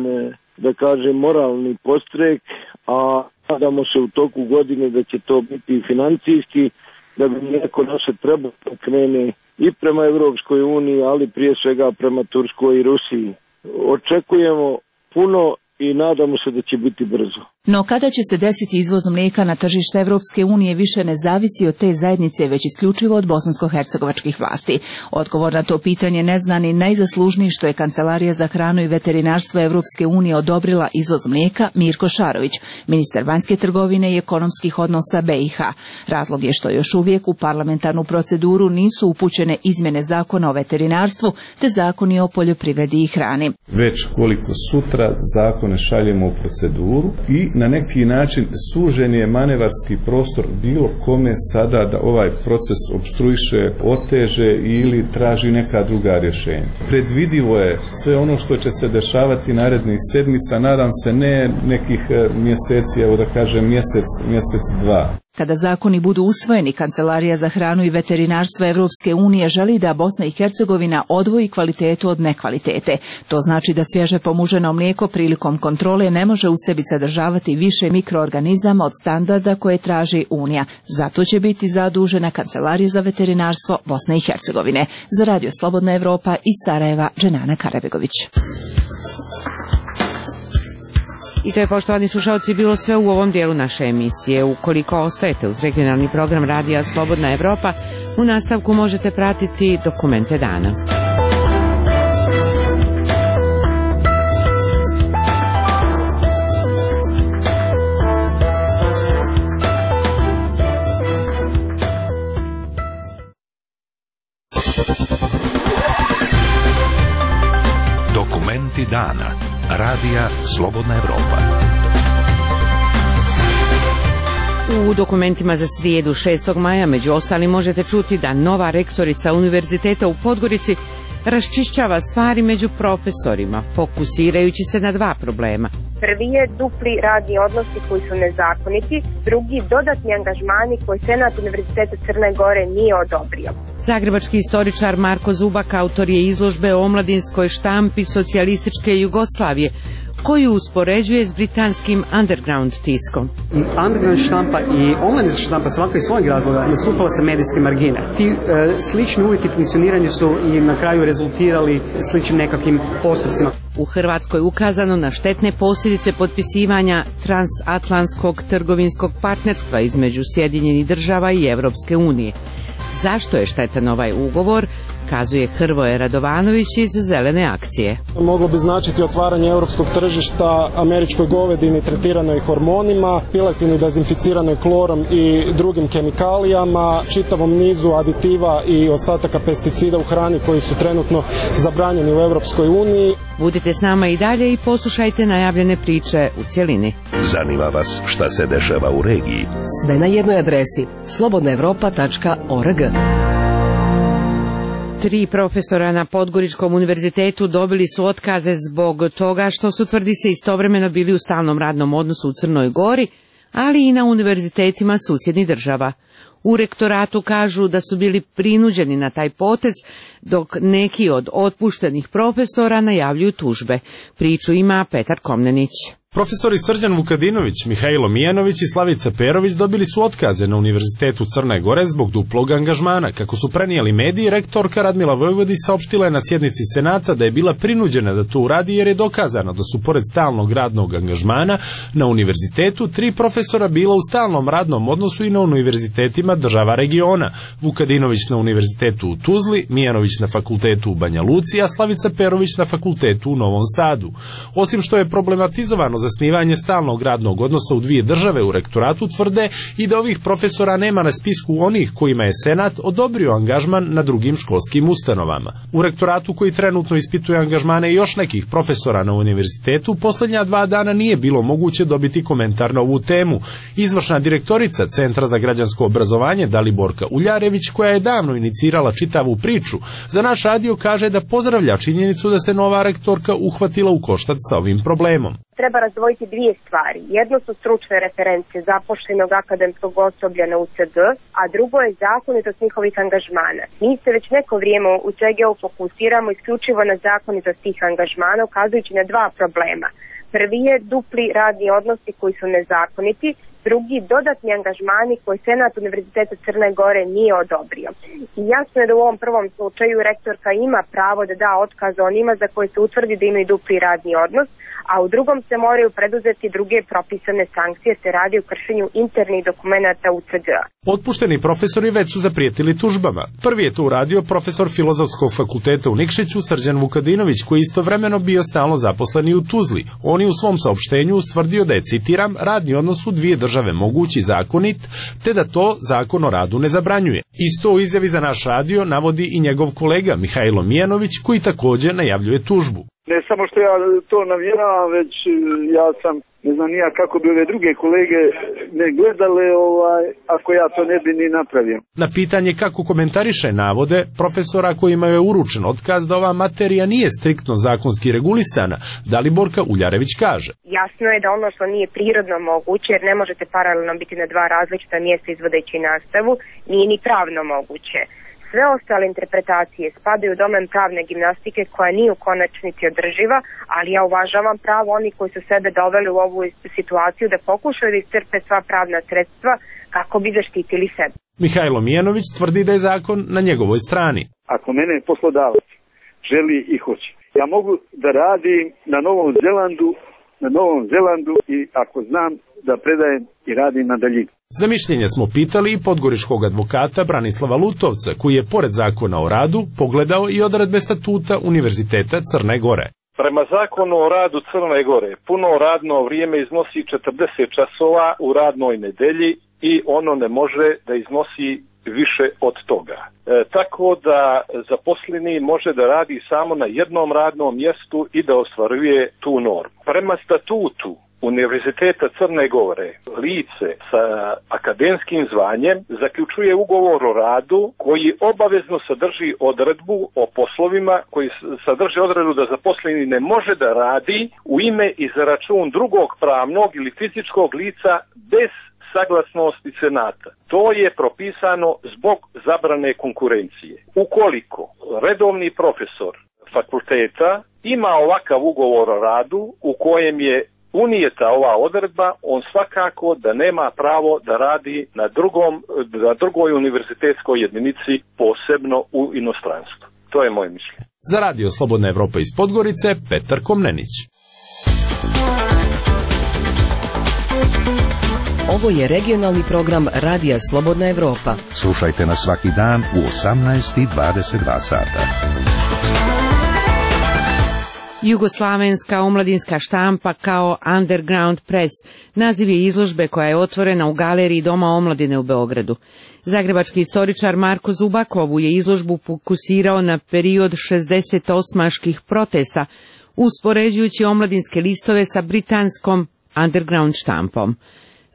da kažem, moralni podstrek, a nadamo se u toku godine da će to biti financijski, da bi neko naše trebalo krene i prema Evropskoj uniji, ali prije svega prema Turskoj i Rusiji. Očekujemo puno i nadamo se da će biti brzo. No kada će se desiti izvoz mlijeka na tržište Evropske unije više ne zavisi od te zajednice, već isključivo od bosansko-hercegovačkih vlasti. Odgovor na to pitanje ne zna ni najzaslužniji što je Kancelarija za hranu i veterinarstvo Evropske unije odobrila izvoz mlijeka Mirko Šarović, ministar vanjske trgovine i ekonomskih odnosa be i ha. Razlog je što još uvijek u parlamentarnu proceduru nisu upućene izmjene zakona o veterinarstvu te zakoni o poljoprivredi i hrani. Već koliko sutra zakone šaljemo u proceduru i na neki način sužen je manevarski prostor bilo kome sada da ovaj proces opstruiše, oteže ili traži neka druga rješenja. Predvidivo je sve ono što će se dešavati narednih sedmica, nadam se ne nekih mjeseci, evo da kažem mjesec, mjesec dva. Kada zakoni budu usvojeni, Kancelarija za hranu i veterinarstvo Evropske unije želi da Bosna i Hercegovina odvoji kvalitetu od nekvalitete. To znači da svježe pomuženo mlijeko prilikom kontrole ne može u sebi sadržavati više mikroorganizama od standarda koje traži Unija. Zato će biti zadužena Kancelarija za veterinarstvo Bosne i Hercegovine. Za Radio Slobodna Evropa iz Sarajeva, Dženana Karabegović. I to je, poštovani slušalci, bilo sve u ovom dijelu naše emisije. Ukoliko ostajete uz regionalni program Radija Slobodna Evropa, u nastavku možete pratiti dokumente dana. Dokumenti dana. Radija Slobodna Evropa. U dokumentima za srijedu šestog maja među ostalim možete čuti da nova rektorica Univerziteta u Podgorici raščišćava stvari među profesorima, fokusirajući se na dva problema. Prvi je dupli radni odnosi koji su nezakoniti, drugi dodatni angažmani koje Senat Univerziteta Crne Gore nije odobrio. Zagrebački istoričar Marko Zubak autor je izložbe o omladinskoj štampi socijalističke Jugoslavije, koju uspoređuje s britanskim underground tiskom. I underground štampa i omladinska štampa svaka iz svojeg razloga nastupala sa medijske margine. Ti e, slični uvjeti funkcioniranja su i na kraju rezultirali sličnim nekakvim postupcima. U Hrvatskoj ukazano na štetne posljedice potpisivanja transatlantskog trgovinskog partnerstva između Sjedinjenih država i Evropske unije. Zašto je štetan ovaj ugovor, kazuje Hrvoje Radovanović iz Zelene akcije. Moglo bi značiti otvaranje europskog tržišta američkoj govedini tretiranoj hormonima, piletini dezinficiranoj klorom i drugim kemikalijama, čitavom nizu aditiva i ostataka pesticida u hrani koji su trenutno zabranjeni u Europskoj uniji. Budite s nama i dalje i poslušajte najavljene priče u cjelini. Zanima vas šta se dešava u regiji? Sve na jednoj adresi slobodna evropa tačka org. Tri profesora na Podgoričkom univerzitetu dobili su otkaze zbog toga što su, tvrdi se, istovremeno bili u stalnom radnom odnosu u Crnoj Gori, ali i na univerzitetima susjednih država. U rektoratu kažu da su bili prinuđeni na taj potez, dok neki od otpuštenih profesora najavljuju tužbe. Priču ima Petar Komnenić. Profesori Srđan Vukadinović, Mihajlo Mijanović i Slavica Perović dobili su otkaze na Univerzitetu Crne Gore zbog duplog angažmana. Kako su prenijeli mediji, rektorka Radmila Vojvodi saopštila je na sjednici Senata da je bila prinuđena da to uradi jer je dokazano da su pored stalnog radnog angažmana na univerzitetu tri profesora bila u stalnom radnom odnosu i na univerzitetima država regiona. Vukadinović na Univerzitetu u Tuzli, Mijanović na fakultetu u Banja Luci, a Slavica Perović na fakultetu u Novom Sadu. Osim što je problematizovano zasnivanje stalnog radnog odnosa u dvije države, u rektoratu tvrde i da ovih profesora nema na spisku onih kojima je Senat odobrio angažman na drugim školskim ustanovama. U rektoratu, koji trenutno ispituje angažmane još nekih profesora na univerzitetu, posljednja dva dana nije bilo moguće dobiti komentar na ovu temu. Izvršna direktorica Centra za građansko obrazovanje Daliborka Uljarević, koja je davno inicirala čitavu priču, za naš radio kaže da pozdravlja činjenicu da se nova rektorka uhvatila u koštac sa ovim problemom. Treba razdvojiti dvije stvari. Jedno su stručne reference zapošljenog akademskog osoblja na U C G, a drugo je zakonitost njihovih angažmana. Mi se već neko vrijeme u C G U fokusiramo isključivo na zakonitost tih angažmana, ukazujući na dva problema. Prvi je dupli radni odnosi koji su nezakoniti, drugi dodatni angažmani koji Senat Univerziteta Crne Gore nije odobrio. I jasno je da u ovom prvom slučaju rektorka ima pravo da da otkaz onima za koje se utvrdi da imaju dupli radni odnos, a u drugom se moraju preduzeti druge propisane sankcije, se radi o kršenju internih dokumenata U C G-a. Otpušteni profesori već su zaprijetili tužbama. Prvi je to uradio profesor Filozofskog fakulteta u Nikšiću Srđan Vukadinović, koji istovremeno bio stalno zaposleni u Tuzli. On je u svom saopštenju ustvrdio da je, citiram, radni odnos u dvije države mogući zakonit, te da to Zakon o radu ne zabranjuje. Isto u izjavi za naš radio navodi i njegov kolega Mihajlo Mijanović, koji također najavljuje tužbu. Ne samo što ja to navjeravam, već ja sam, ne znam nija kako bi ove druge kolege ne gledale ovaj, ako ja to ne bi ni napravio. Na pitanje kako komentariše navode profesora kojima je uručen otkaz da ova materija nije striktno zakonski regulisana, Daliborka Uljarević kaže. Jasno je da ono što nije prirodno moguće, jer ne možete paralelno biti na dva različita mjesta izvodeći nastavu, nije ni pravno moguće. Sve ostale interpretacije spadaju u domen pravne gimnastike koja nije u konačnici održiva, ali ja uvažavam pravo oni koji su sebe doveli u ovu situaciju da pokušaju da iscrpe sva pravna sredstva kako bi zaštitili sebe. Mihajlo Mijanović tvrdi da je zakon na njegovoj strani. Ako mene poslodavac želi i hoće, ja mogu da radim na Novom Zelandu, na Novom Zelandu i ako znam da predajem i radim na daljinu. Za mišljenje smo pitali i podgoričkog advokata Branislava Lutovca, koji je pored zakona o radu pogledao i odredbe statuta Univerziteta Crne Gore. Prema zakonu o radu Crne Gore, puno radno vrijeme iznosi četrdeset časova u radnoj nedelji i ono ne može da iznosi više od toga. E, tako da zaposleni može da radi samo na jednom radnom mjestu i da ostvaruje tu normu. Prema statutu Univerziteta Crne Gore, lice sa akademskim zvanjem zaključuje ugovor o radu koji obavezno sadrži odredbu o poslovima, koji sadrži odredbu da zaposleni ne može da radi u ime i za račun drugog pravnog ili fizičkog lica bez saglasnosti senata. To je propisano zbog zabrane konkurencije. Ukoliko redovni profesor fakulteta ima ovakav ugovor o radu u kojem je unijeta ova odredba, on svakako da nema pravo da radi na drugom, na drugoj univerzitetskoj jedinici, posebno u inostranstvu. To je moje mišljenje. Za radio Slobodna Evropa iz Podgorice, Petar Komnenić. Ovo je regionalni program Radija Slobodna Evropa. Slušajte nas svaki dan u osamnaest i dvadeset dva sata. Jugoslavenska omladinska štampa kao Underground Press naziv je izložbe koja je otvorena u galeriji Doma omladine u Beogradu. Zagrebački istoričar Marko Zubak ovu je izložbu fokusirao na period šezdesetosmaških protesta, uspoređujući omladinske listove sa britanskom Underground štampom.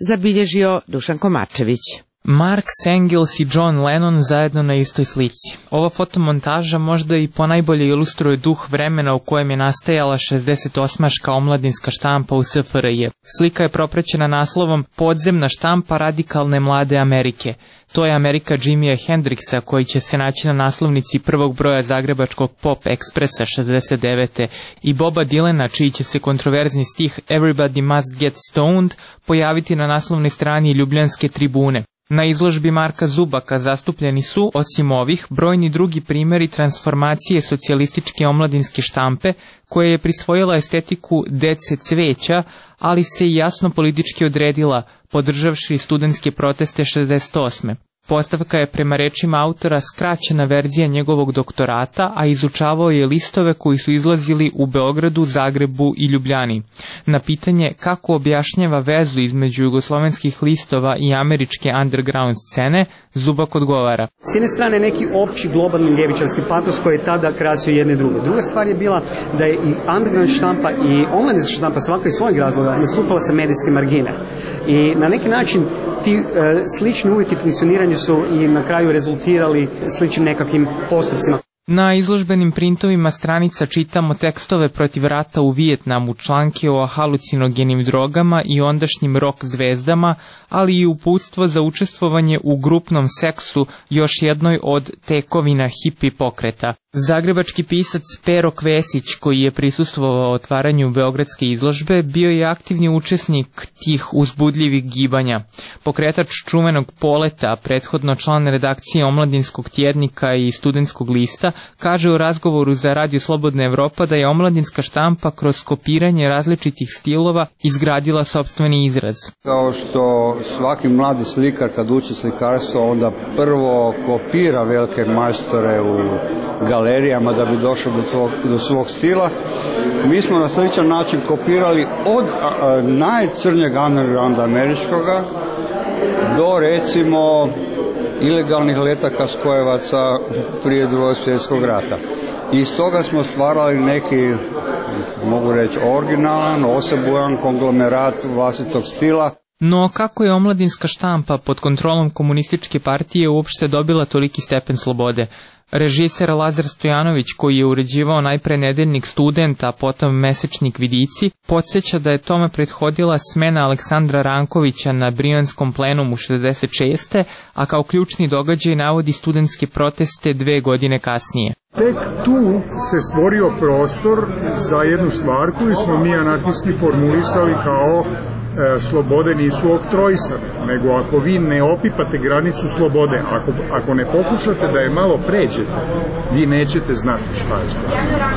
Zabilježio Dušan Komarčević. Mark Engels i John Lennon zajedno na istoj slici. Ova fotomontaža možda i ponajbolje ilustruje duh vremena u kojem je nastajala šezdesetosmaška omladinska štampa u S F R J. Slika je propraćena naslovom Podzemna štampa radikalne mlade Amerike. To je Amerika Jimija Hendrixa koji će se naći na naslovnici prvog broja zagrebačkog Pop Expressa šezdeset devete i Boba Dylana, čiji će se kontroverzni stih Everybody Must Get Stoned pojaviti na naslovnoj strani Ljubljanske tribune. Na izložbi Marka Zubaka zastupljeni su, osim ovih, brojni drugi primjeri transformacije socijalističke omladinske štampe, koja je prisvojila estetiku dece cveća, ali se i jasno politički odredila, podržavši studentske proteste šezdeset osme. Postavka je prema rečima autora skraćena verzija njegovog doktorata, a izučavao je listove koji su izlazili u Beogradu, Zagrebu i Ljubljani. Na pitanje kako objašnjava vezu između jugoslovenskih listova i američke underground scene, Zubak odgovara. S jedne strane neki opći globalni ljevičarski patos koji je tada krasio jedne druge. Druga stvar je bila da je i underground štampa i omladinska štampa svaka iz svojeg razloga nastupala sa medijske margine. I na neki način ti e, slični uvjeti funkcioniranja su i na kraju rezultirali sličnim nekakvim postupcima. Na izložbenim printovima stranica čitamo tekstove protiv rata u Vijetnamu, članke o halucinogenim drogama i ondašnjim rock zvezdama, ali i uputstvo za učestvovanje u grupnom seksu, još jednoj od tekovina hipi pokreta. Zagrebački pisac Pero Kvesić, koji je prisustvovao otvaranju beogradske izložbe, bio je aktivni učesnik tih uzbudljivih gibanja. Pokretač čuvenog Poleta, prethodno član redakcije Omladinskog tjednika i Studentskog lista, kaže u razgovoru za Radio Slobodna Evropa da je omladinska štampa kroz kopiranje različitih stilova izgradila sopstveni izraz. Kao što svaki mladi slikar kad uči slikarstvo onda prvo kopira velike majstore u galerijama da bi došao do, tvog, do svog stila. Mi smo na sličan način kopirali od a, a, najcrnjeg undergrounda američkoga do recimo ilegalnih letaka spojevaca prije Drugog svjetskog rata. I iz toga smo stvarali neki, mogu reći, originalan, osebujan konglomerat vlastitog stila. No kako je omladinska štampa pod kontrolom komunističke partije uopšte dobila toliki stepen slobode? Režiser Lazar Stojanović, koji je uređivao najpre nedeljnik Student, a potom mesečnik Vidici, podsjeća da je tome prethodila smena Aleksandra Rankovića na Brijanskom plenumu šezdeset šeste. a kao ključni događaj navodi studentske proteste dve godine kasnije. Tek tu se stvorio prostor za jednu stvar koju smo mi anarhisti formulisali kao e, slobode nisu oktrojsane, nego ako vi ne opipate granicu slobode, ako, ako ne pokušate da je malo pređete, vi nećete znati šta je sloboda.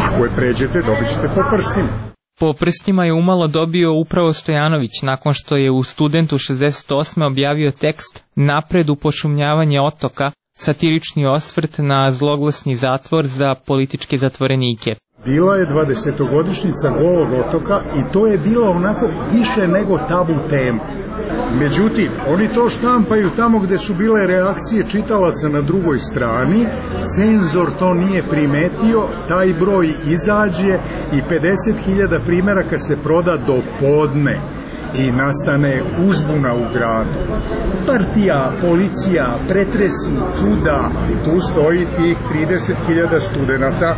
Ako je pređete, dobit ćete po prstima. Po prstima je umalo dobio upravo Stojanović nakon što je u Studentu šezdeset osme objavio tekst Napred u pošumljavanje otoka, satirični osvrt na zloglasni zatvor za političke zatvorenike. Bila je dvadesetogodišnjica Golog otoka i to je bilo onako više nego tabu tema. Međutim, oni to štampaju tamo gde su bile reakcije čitalaca na drugoj strani, cenzor to nije primetio, taj broj izađe i pedeset hiljada primjeraka se proda do podne i nastane uzbuna u gradu. Partija, policija, pretresi, čuda i tu stoji tih trideset hiljada studenata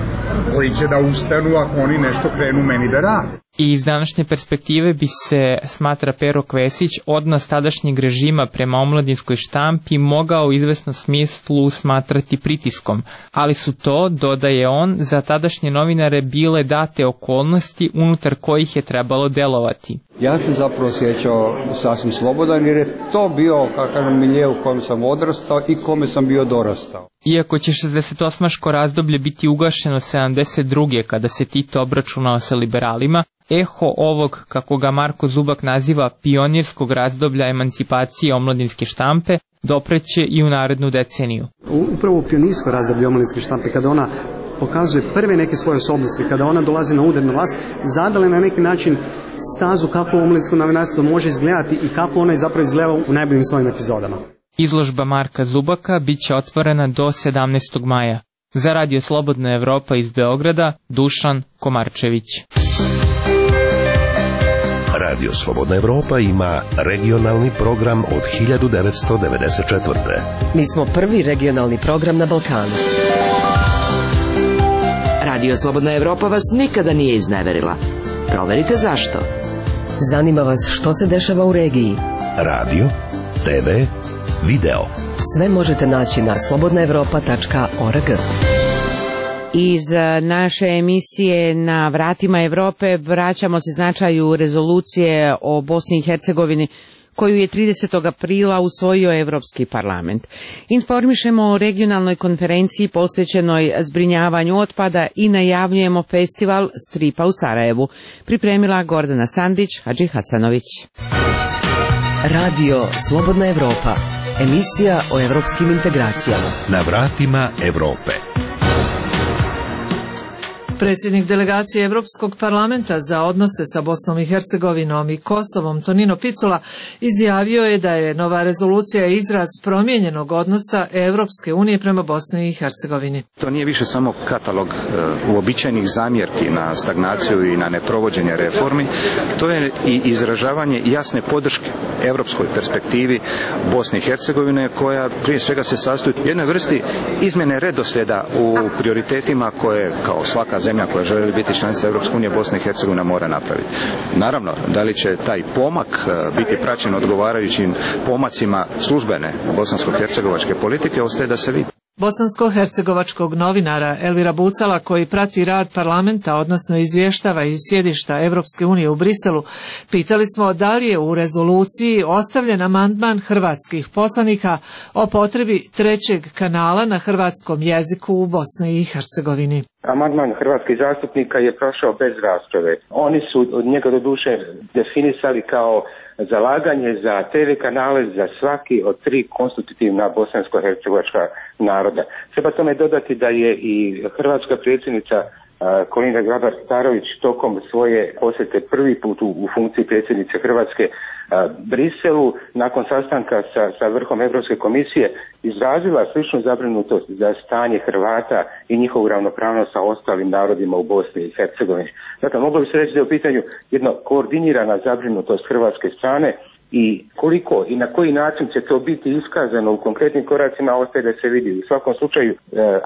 koji će da ustanu ako oni nešto krenu meni da rade. I iz današnje perspektive bi se, smatra Pero Kvesić, odnos tadašnjeg režima prema omladinskoj štampi mogao u izvesnom smislu smatrati pritiskom, ali su to, dodaje on, za tadašnje novinare bile date okolnosti unutar kojih je trebalo delovati. Ja sam zapravo osjećao sasvim slobodan jer je to bio kakav milje u kojem sam odrastao i kome sam bio dorastao. Iako će šezdeset osmaško razdoblje biti ugašeno sedamdeset druge kada se Tito obračunao sa liberalima, eho ovog, kako ga Marko Zubak naziva, pionirskog razdoblja emancipacije omladinske štampe, dopreće i u narednu deceniju. Upravo u pionirsko razdoblje omladinske štampe, kada ona pokazuje prve neke svoje osobnosti, kada ona dolazi na udarnu vlast, zadala na neki način stazu kako omladinsko novinarstvo može izgledati i kako ona je zapravo izgledala u najboljim svojim epizodama. Izložba Marka Zubaka bit će otvorena do sedamnaestog maja. Za Radio Slobodna Evropa iz Beograda, Dušan Komarčević. Radio Slobodna Evropa ima regionalni program od hiljadu devetsto devedeset četvrte. Mi smo prvi regionalni program na Balkanu. Radio Slobodna Evropa vas nikada nije izneverila. Proverite zašto. Zanima vas što se dešava u regiji. Radio, te ve, video. Sve možete naći na slobodna evropa tačka org. Iz naše emisije Na vratima Evrope vraćamo se značaju rezolucije o Bosni i Hercegovini koju je tridesetog aprila usvojio Evropski parlament. Informišemo o regionalnoj konferenciji posvećenoj zbrinjavanju otpada i najavljujemo festival stripa u Sarajevu. Pripremila Gordana Sandić, Hadži Hasanović. Radio Slobodna Evropa, emisija o evropskim integracijama. Na vratima Evrope. Predsjednik delegacije Evropskog parlamenta za odnose sa Bosnom i Hercegovinom i Kosovom, Tonino Picula, izjavio je da je nova rezolucija izraz promijenjenog odnosa Evropske unije prema Bosni i Hercegovini. To nije više samo katalog e, uobičajenih zamjerki na stagnaciju i na neprovođenje reformi, to je i izražavanje jasne podrške evropskoj perspektivi Bosne i Hercegovine, koja prije svega se sastoji u jednoj vrsti izmjene redoslijeda u prioritetima koje kao svaka zemlja koja želi biti članica Europske unije, Bosna i Hercegovina mora napraviti. Naravno, da li će taj pomak biti praćen odgovarajućim pomacima službene bosansko-hercegovačke politike, ostaje da se vidi. Bosansko-hercegovačkog novinara Elvira Bucala, koji prati rad parlamenta, odnosno izvještava iz sjedišta Evropske unije u Briselu, pitali smo da li je u rezoluciji ostavljen amandman hrvatskih poslanika o potrebi trećeg kanala na hrvatskom jeziku u Bosni i Hercegovini. Amandman hrvatskih zastupnika je prošao bez rasprave. Oni su od njega do duše definisali kao zalaganje za te ve kanale za svaki od tri konstitutivna bosansko-hercegovačka naroda. Treba tome dodati da je i hrvatska predsjednica Kolinda Grabar-Kitarović tokom svoje posjete prvi put u, u funkciji predsjednice Hrvatske Briselu, nakon sastanka sa, sa vrhom Europske komisije, izrazila sličnu zabrinutost za stanje Hrvata i njihovu ravnopravnost sa ostalim narodima u Bosni i Hercegovini. Dakle, moglo bi se reći da je u pitanju jedna koordinirana zabrinutost hrvatske strane, i koliko i na koji način će to biti iskazano u konkretnim koracima ostaje da se vidi. U svakom slučaju, e,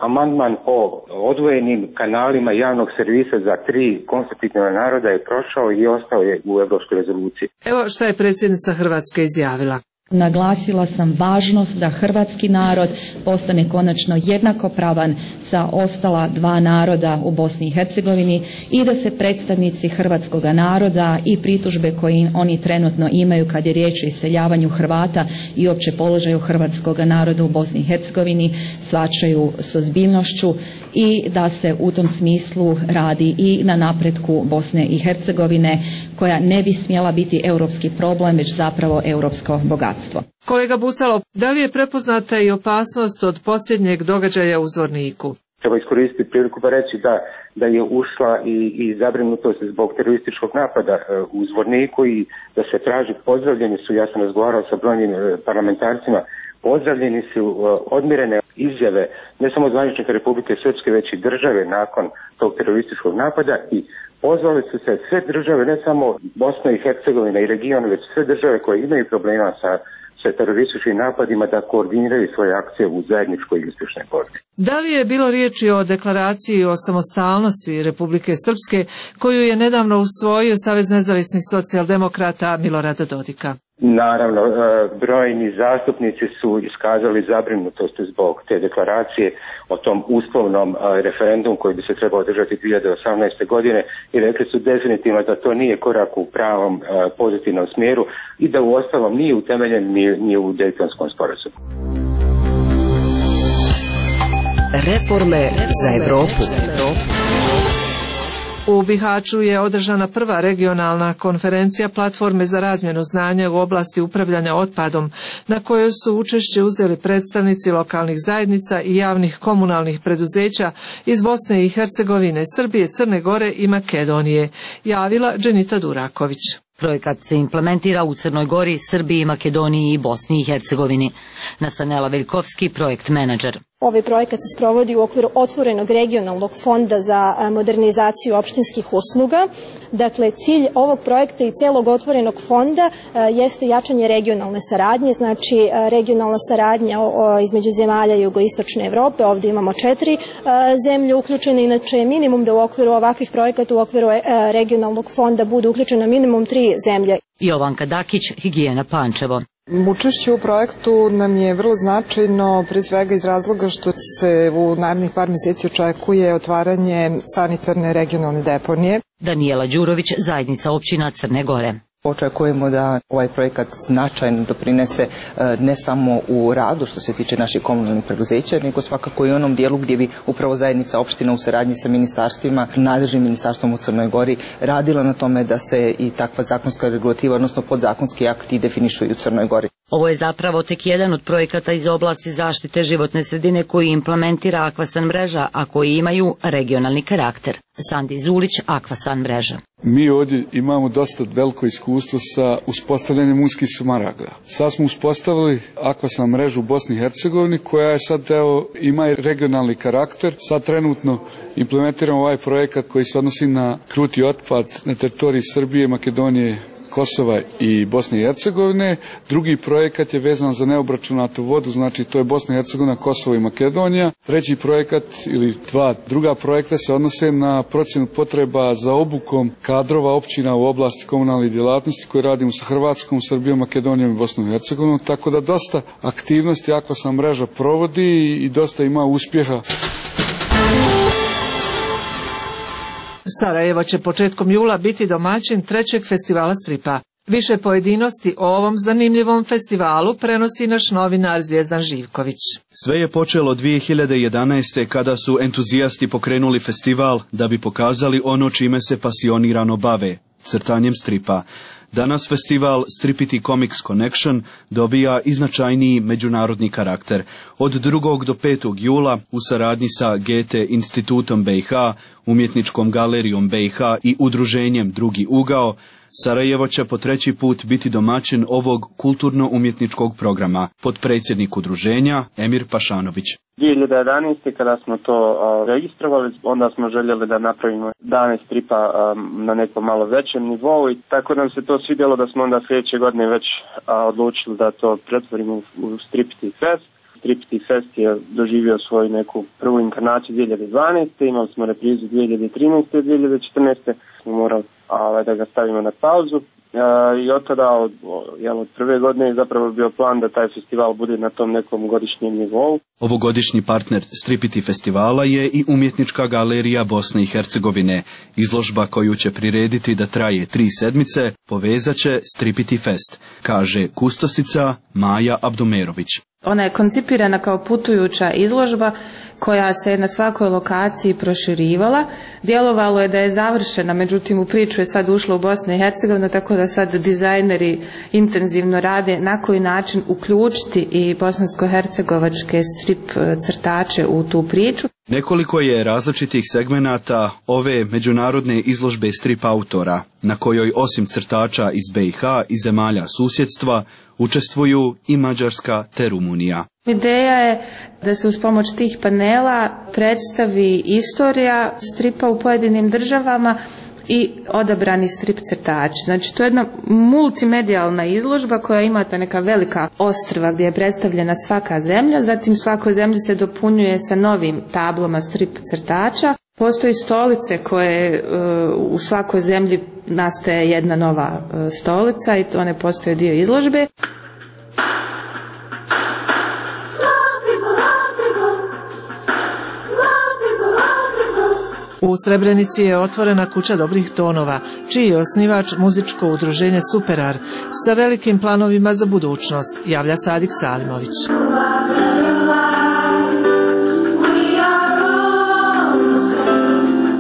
amandman o odvojenim kanalima javnog servisa za tri konstitutivna naroda je prošao i ostao je u Europskoj rezoluciji. Evo šta je predsjednica Hrvatske izjavila. Naglasila sam važnost da hrvatski narod postane konačno jednakopravan sa ostala dva naroda u Bosni i Hercegovini i da se predstavnici hrvatskog naroda i pritužbe koje oni trenutno imaju kad je riječ o iseljavanju Hrvata i opće položaju hrvatskog naroda u Bosni i Hercegovini shvaćaju s ozbiljnošću i da se u tom smislu radi i na napretku Bosne i Hercegovine, koja ne bi smjela biti europski problem, već zapravo europsko bogatstvo. Kolega Bucalo, da li je prepoznata i opasnost od posljednjeg događaja u Zvorniku? Treba iskoristiti priliku pa reći da, da je ušla i, i zabrinutost zbog terorističkog napada u Zvorniku i da se traži, pozdravljeni su, ja sam razgovarao sa brojnim parlamentarcima, pozdravljeni su odmirene izjave ne samo zvaničnika Republike Srpske, već i države nakon tog terorističkog napada i pozvali su se sve države, ne samo Bosna i Hercegovina i region, već sve države koje imaju problema sa, sa terorističkim napadima da koordiniraju svoje akcije u zajedničkoj i uspješnoj borbi. Da li je bilo riječi o deklaraciji o samostalnosti Republike Srpske koju je nedavno usvojio Savez nezavisnih socijaldemokrata Milorada Dodika? Naravno, brojni zastupnici su iskazali zabrinutost zbog te deklaracije o tom uslovnom referendumu koji bi se trebao održati dvije hiljade osamnaeste. godine i rekli su definitivno da to nije korak u pravom pozitivnom smjeru i da u ostalom nije utemeljen ni, ni u Dejtonskom sporazumu. Reforme za Evropu. U Bihaću je održana prva regionalna konferencija platforme za razmjenu znanja u oblasti upravljanja otpadom, na kojoj su učešće uzeli predstavnici lokalnih zajednica i javnih komunalnih preduzeća iz Bosne i Hercegovine, Srbije, Crne Gore i Makedonije, javila Dženita Duraković. Projekat se implementira u Crnoj Gori, Srbiji, Makedoniji i Bosni i Hercegovini. Nasanela Veljkovski, projekt menadžer. Ovaj projekat se sprovodi u okviru otvorenog regionalnog fonda za modernizaciju opštinskih usluga. Dakle, cilj ovog projekta i celog otvorenog fonda jeste jačanje regionalne saradnje, znači regionalna saradnja između zemalja jugoistočne Evrope. Ovdje imamo četiri zemlje uključene, inače minimum da u okviru ovakvih projekata, u okviru regionalnog fonda budu uključeno minimum tri zemlje. Jovanka Dakić, Higijena Pančevo. Učešće u projektu nam je vrlo značajno, pre svega iz razloga što se u narednih par mjeseci očekuje otvaranje sanitarne regionalne deponije. Daniela Đurović, zajednica općina Crne Gore. Očekujemo da ovaj projekat značajno doprinese ne samo u radu što se tiče naših komunalnih preduzeća, nego svakako i onom dijelu gdje bi upravo zajednica opština u saradnji sa ministarstvima, nadležnim ministarstvom u Crnoj Gori, radila na tome da se i takva zakonska regulativa, odnosno podzakonski akti definišu i u Crnoj Gori. Ovo je zapravo tek jedan od projekata iz oblasti zaštite životne sredine koji implementira Akvasan mreža, a koji imaju regionalni karakter. Sandi Zulić, Akvasan mreža. Mi ovdje imamo dosta veliko iskustvo sa uspostavljanjem unskih smaragda. Sad smo uspostavili Akvasan mrežu u Bosni i Hercegovini koja je sad evo, ima regionalni karakter. Sad trenutno implementiramo ovaj projekat koji se odnosi na kruti otpad na teritoriji Srbije, Makedonije, Kosova i Bosne i Hercegovine. Drugi projekat je vezan za neobračunatu vodu, znači to je Bosna i Hercegovina, Kosovo i Makedonija. Treći projekat ili dva druga projekta se odnose na procjenu potreba za obukom kadrova općina u oblasti komunalnih djelatnosti koje radimo sa Hrvatskom, Srbijom, Makedonijom i Bosnom i Hercegovinom, tako da dosta aktivnosti Akvasan mreža provodi i dosta ima uspjeha. Sarajevo će početkom jula biti domaćin trećeg festivala stripa. Više pojedinosti o ovom zanimljivom festivalu prenosi naš novinar Zvijezdan Živković. Sve je počelo dvije hiljade jedanaeste. kada su entuzijasti pokrenuli festival da bi pokazali ono čime se pasionirano bave, crtanjem stripa. Danas festival Stripity Comics Connection dobija i značajniji međunarodni karakter. Od drugog do petog jula u saradnji sa Goethe institutom B i H umjetničkom galerijom B i H i udruženjem Drugi ugao, Sarajevo će po treći put biti domaćin ovog kulturno-umjetničkog programa, potpredsjednik udruženja Emir Pašanović. dvije hiljade jedanaeste. kada smo to a, registrovali, onda smo željeli da napravimo dane stripa a, na nekom malo većem nivou i tako nam se to svidjelo da smo onda sljedeće godine već a, odlučili da to pretvorimo u, u Stripti Fest. Stripti Fest je doživio svoju neku prvu inkarnaciju dvije hiljade dvanaeste. Imali smo reprizu dvije hiljade trinaeste. i dvije hiljade četrnaeste. smo morali a, da ga stavimo na pauzu. Uh, i od tada, od, jel, od prve godine je zapravo bio plan da taj festival bude na tom nekom godišnjem nivou. Ovogodišnji partner Stripiti festivala je i umjetnička galerija Bosne i Hercegovine. Izložba koju će prirediti da traje tri sedmice povezat će Stripiti Fest, kaže kustosica Maja Abdumerović. Ona je koncipirana kao putujuća izložba koja se na svakoj lokaciji proširivala. Djelovalo je da je završena, međutim u priču je sad ušla u Bosnu i Hercegovinu, tako da sad dizajneri intenzivno rade na koji način uključiti i bosansko-hercegovačke strip crtače u tu priču. Nekoliko je različitih segmenata ove međunarodne izložbe strip autora, na kojoj osim crtača iz B i H i zemalja susjedstva učestvuju i Mađarska te Rumunija. Ideja je da se uz pomoć tih panela predstavi istorija stripa u pojedinim državama i odabrani strip crtači. Znači to je jedna multimedijalna izložba koja ima neka velika ostrva gdje je predstavljena svaka zemlja, zatim svakoj zemlji se dopunjuje sa novim tablama strip crtača. Postoji stolice koje uh, u svakoj zemlji nastaje jedna nova uh, stolica i to one postoje dio izložbe. U Srebrenici je otvorena kuća dobrih tonova, čiji je osnivač muzičko udruženje Superar sa velikim planovima za budućnost, javlja Sadik Salimović.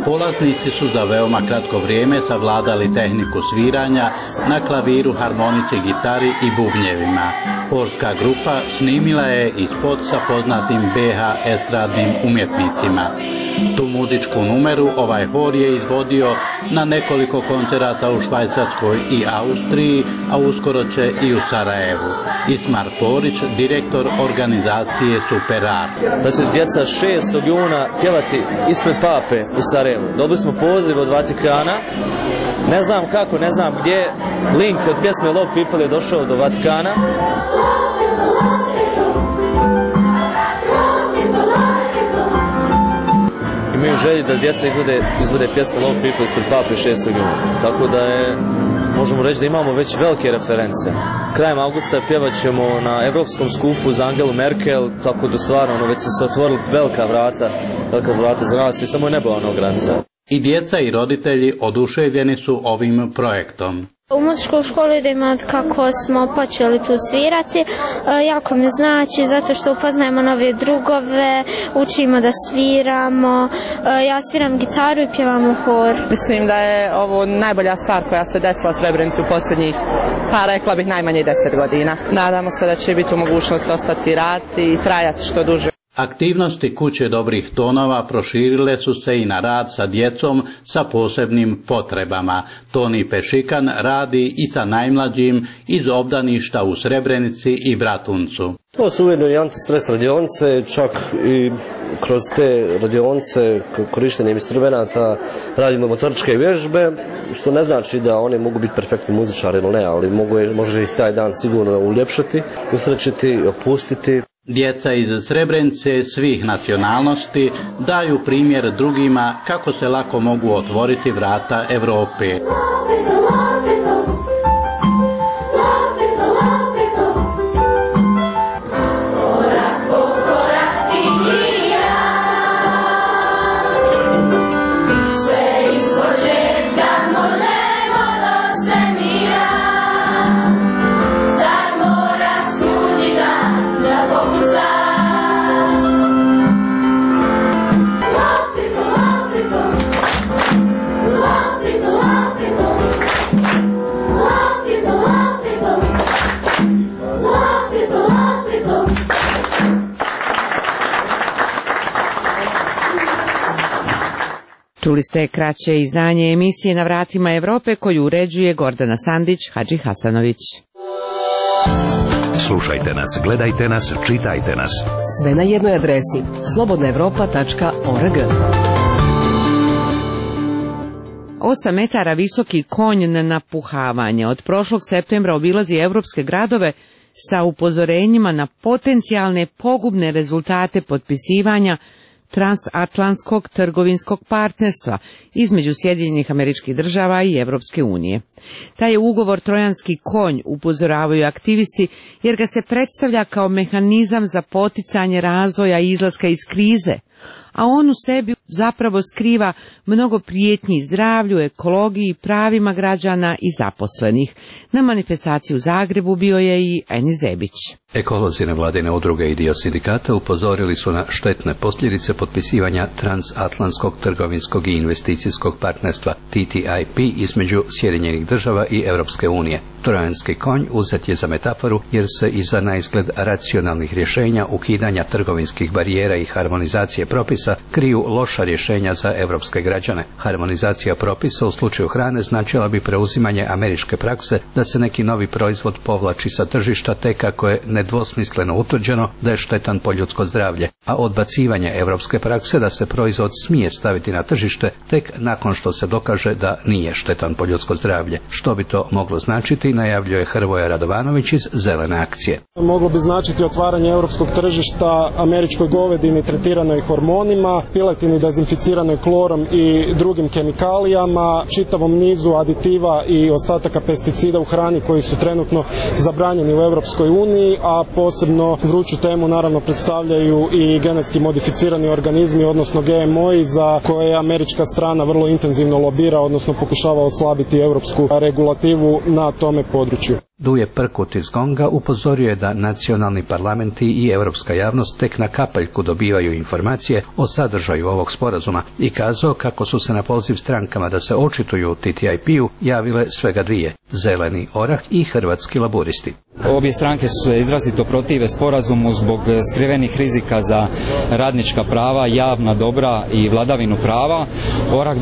Polaznici su za veoma kratko vrijeme savladali tehniku sviranja na klaviru, harmonici, gitari i bubnjevima. Horska grupa snimila je i spot sa poznatim B H estradnim umjetnicima. Tu muzičku numeru ovaj hor je izvodio na nekoliko koncerata u Švajcarskoj i Austriji, a uskoro će i u Sarajevu. Ismar Porić, direktor organizacije Superar. Da će djeca šestog juna pjevati ispred Pape u Sarajevu. Dobili smo poziv od Vatikana, ne znam kako, ne znam gdje, link od pjesme Love People je došao do Vatikana. Imaju želji da djeca izvode, izvode pjesme Love People ispred Pape šestog juna. Tako da je, možemo reći da imamo već velike reference. Krajem avgusta pjevat ćemo na Evropskom skupu za Angelu Merkel, tako da stvarno ono, već se otvorili velika vrata, velika vrata za nas i samo je nebo ono granica. I djeca i roditelji oduševljeni su ovim projektom. U muzičkoj školi idemo od kako smo počeli tu svirati, e, jako mi znači zato što upoznajemo nove drugove, učimo da sviramo, e, ja sviram gitaru i pjevam u hor. Mislim da je ovo najbolja stvar koja se desila u Srebrenici u posljednjih, pa rekla bih najmanje deset godina. Nadamo se da će biti u mogućnosti ostati raditi i trajati što duže. Aktivnosti kuće dobrih tonova proširile su se i na rad sa djecom sa posebnim potrebama. Toni Pešikan radi i sa najmlađim iz obdaništa u Srebrenici i Bratuncu. To su ujedno i antistres radionice, čak i kroz te radionice korištenjem instrumenata radimo motoričke vježbe, što ne znači da one mogu biti perfektni muzičari ili ne, ali mogu, može i taj dan sigurno uljepšati, usrećiti, opustiti. Djeca iz Srebrenice svih nacionalnosti daju primjer drugima kako se lako mogu otvoriti vrata Europe. Čuli ste kraće izdanje emisije Na vratima Evrope koju uređuje Gordana Sandić, Hadži Hasanović. Slušajte nas, gledajte nas, čitajte nas. Sve na jednoj adresi slobodna evropa tačka org. Osam metara visoki konj na napuhavanje od prošlog septembra obilazi evropske gradove sa upozorenjima na potencijalne pogubne rezultate potpisivanja transatlantskog trgovinskog partnerstva između Sjedinjenih Američkih Država i Evropske unije. Taj je ugovor trojanski konj, upozoravaju aktivisti, jer ga se predstavlja kao mehanizam za poticanje razvoja i izlaska iz krize, a on u sebi zapravo skriva mnogo prijetnji zdravlju, ekologiji, pravima građana i zaposlenih. Na manifestaciji u Zagrebu bio je i Enis Zebić. Ekolozi nevladine udruge i dio sindikata upozorili su na štetne posljedice potpisivanja transatlantskog trgovinskog i investicijskog partnerstva T T I P između Sjedinjenih Država i Europske unije. Trojanski konj uzet je za metaforu jer se iza naizgled racionalnih rješenja ukidanja trgovinskih barijera i harmonizacije propisa kriju loša rješenja za europske građane. Harmonizacija propisa u slučaju hrane značila bi preuzimanje američke prakse da se neki novi proizvod povlači sa tržišta tek ako je nedvosmisleno utvrđeno da je štetan po ljudsko zdravlje, a odbacivanje europske prakse da se proizvod smije staviti na tržište tek nakon što se dokaže da nije štetan po ljudsko zdravlje. Što bi to moglo značiti, najavljuje Hrvoje Radovanović iz Zelene akcije. Moglo bi značiti otvaranje europskog tržišta američkoj govedini tretiranoj hormonima, piletini dezinficiranoj klorom i drugim kemikalijama, čitavom nizu aditiva i ostataka pesticida u hrani koji su trenutno zabranjeni u Europskoj uniji, a posebno vruću temu naravno predstavljaju i genetski modificirani organizmi, odnosno G M O-i za koje američka strana vrlo intenzivno lobira, odnosno pokušava oslabiti europsku regulativu na tome području. Duje Prkut iz Gonga upozorio je da nacionalni parlamenti i europska javnost tek na kapaljku dobivaju informacije o sadržaju ovog sporazuma i kazao kako su se na poziv strankama da se očituju u T T I P-u javile svega dvije, Zeleni orah i Hrvatski laburisti. Obje stranke su se izrazito protive sporazumu zbog skrivenih rizika za radnička prava, javna dobra i vladavinu prava. Orah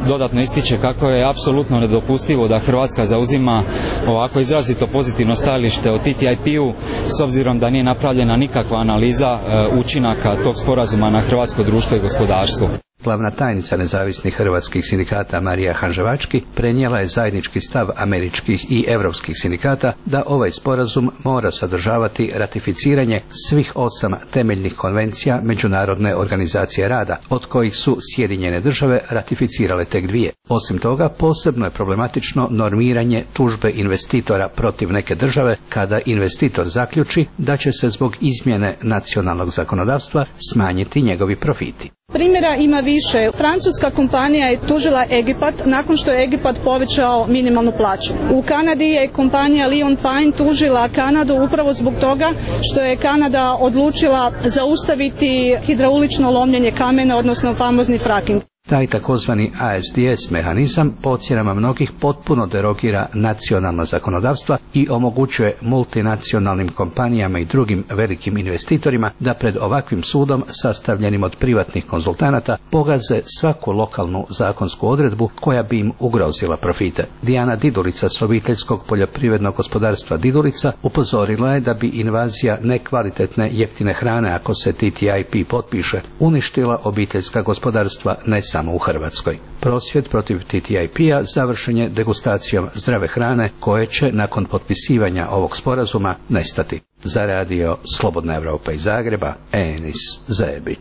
dodatno ističe kako je apsolutno nedopustivo da Hrvatska zauzima ovako izrazito pozitivno stajalište o T T I P-u s obzirom da nije napravljena nikakva analiza učinaka tog sporazuma na hrvatsko društvo i gospodarstvo. Glavna tajnica nezavisnih hrvatskih sindikata Marija Hanževački prenijela je zajednički stav američkih i europskih sindikata da ovaj sporazum mora sadržavati ratificiranje svih osam temeljnih konvencija Međunarodne organizacije rada, od kojih su Sjedinjene Države ratificirale tek dvije. Osim toga, posebno je problematično normiranje tužbe investitora protiv neke države kada investitor zaključi da će se zbog izmjene nacionalnog zakonodavstva smanjiti njegovi profiti. Primjera ima više. Francuska kompanija je tužila Egipat nakon što je Egipat povećao minimalnu plaću. U Kanadi je kompanija Lion Pine tužila Kanadu upravo zbog toga što je Kanada odlučila zaustaviti hidraulično lomljenje kamena, odnosno famozni fracking. Taj takozvani A S D S mehanizam po ocjenama mnogih potpuno derogira nacionalna zakonodavstva i omogućuje multinacionalnim kompanijama i drugim velikim investitorima da pred ovakvim sudom sastavljenim od privatnih konzultanata pogaze svaku lokalnu zakonsku odredbu koja bi im ugrozila profite. Dijana Didulica s obiteljskog poljoprivrednog gospodarstva Didulica upozorila je da bi invazija nekvalitetne jeftine hrane, ako se T T I P potpiše, uništila obiteljska gospodarstva ne samo u Hrvatskoj. Prosvjed protiv T T I P-a završen je degustacijom zdrave hrane koje će nakon potpisivanja ovog sporazuma nestati. Za radio Slobodna Evropa iz Zagreba, Enis Zebić.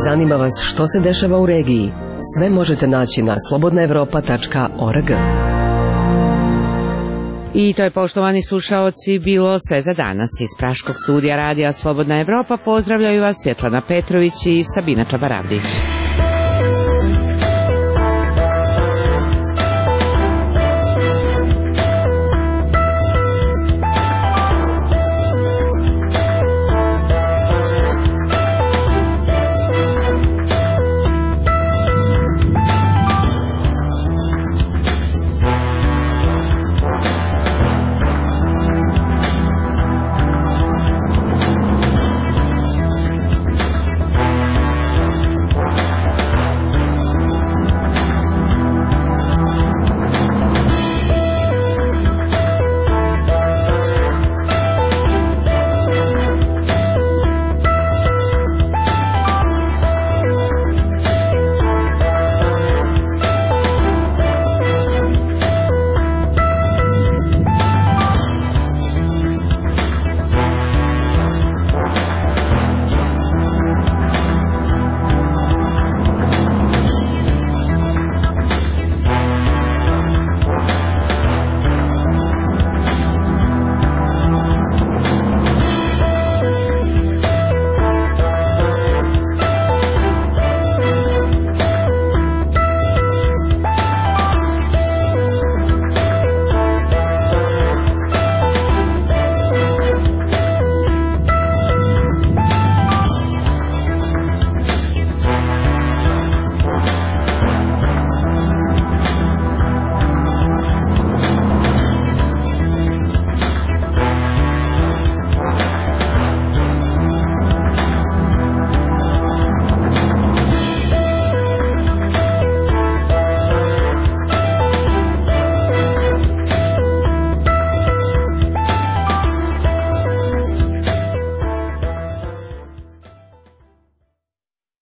Zanima vas što se dešava u regiji? Sve možete naći na slobodna evropa tačka org. I to je, poštovani slušaoci, bilo sve za danas. Iz praškog studija radija Slobodna Evropa pozdravljaju vas Svjetlana Petrović i Sabina Čabaravdić.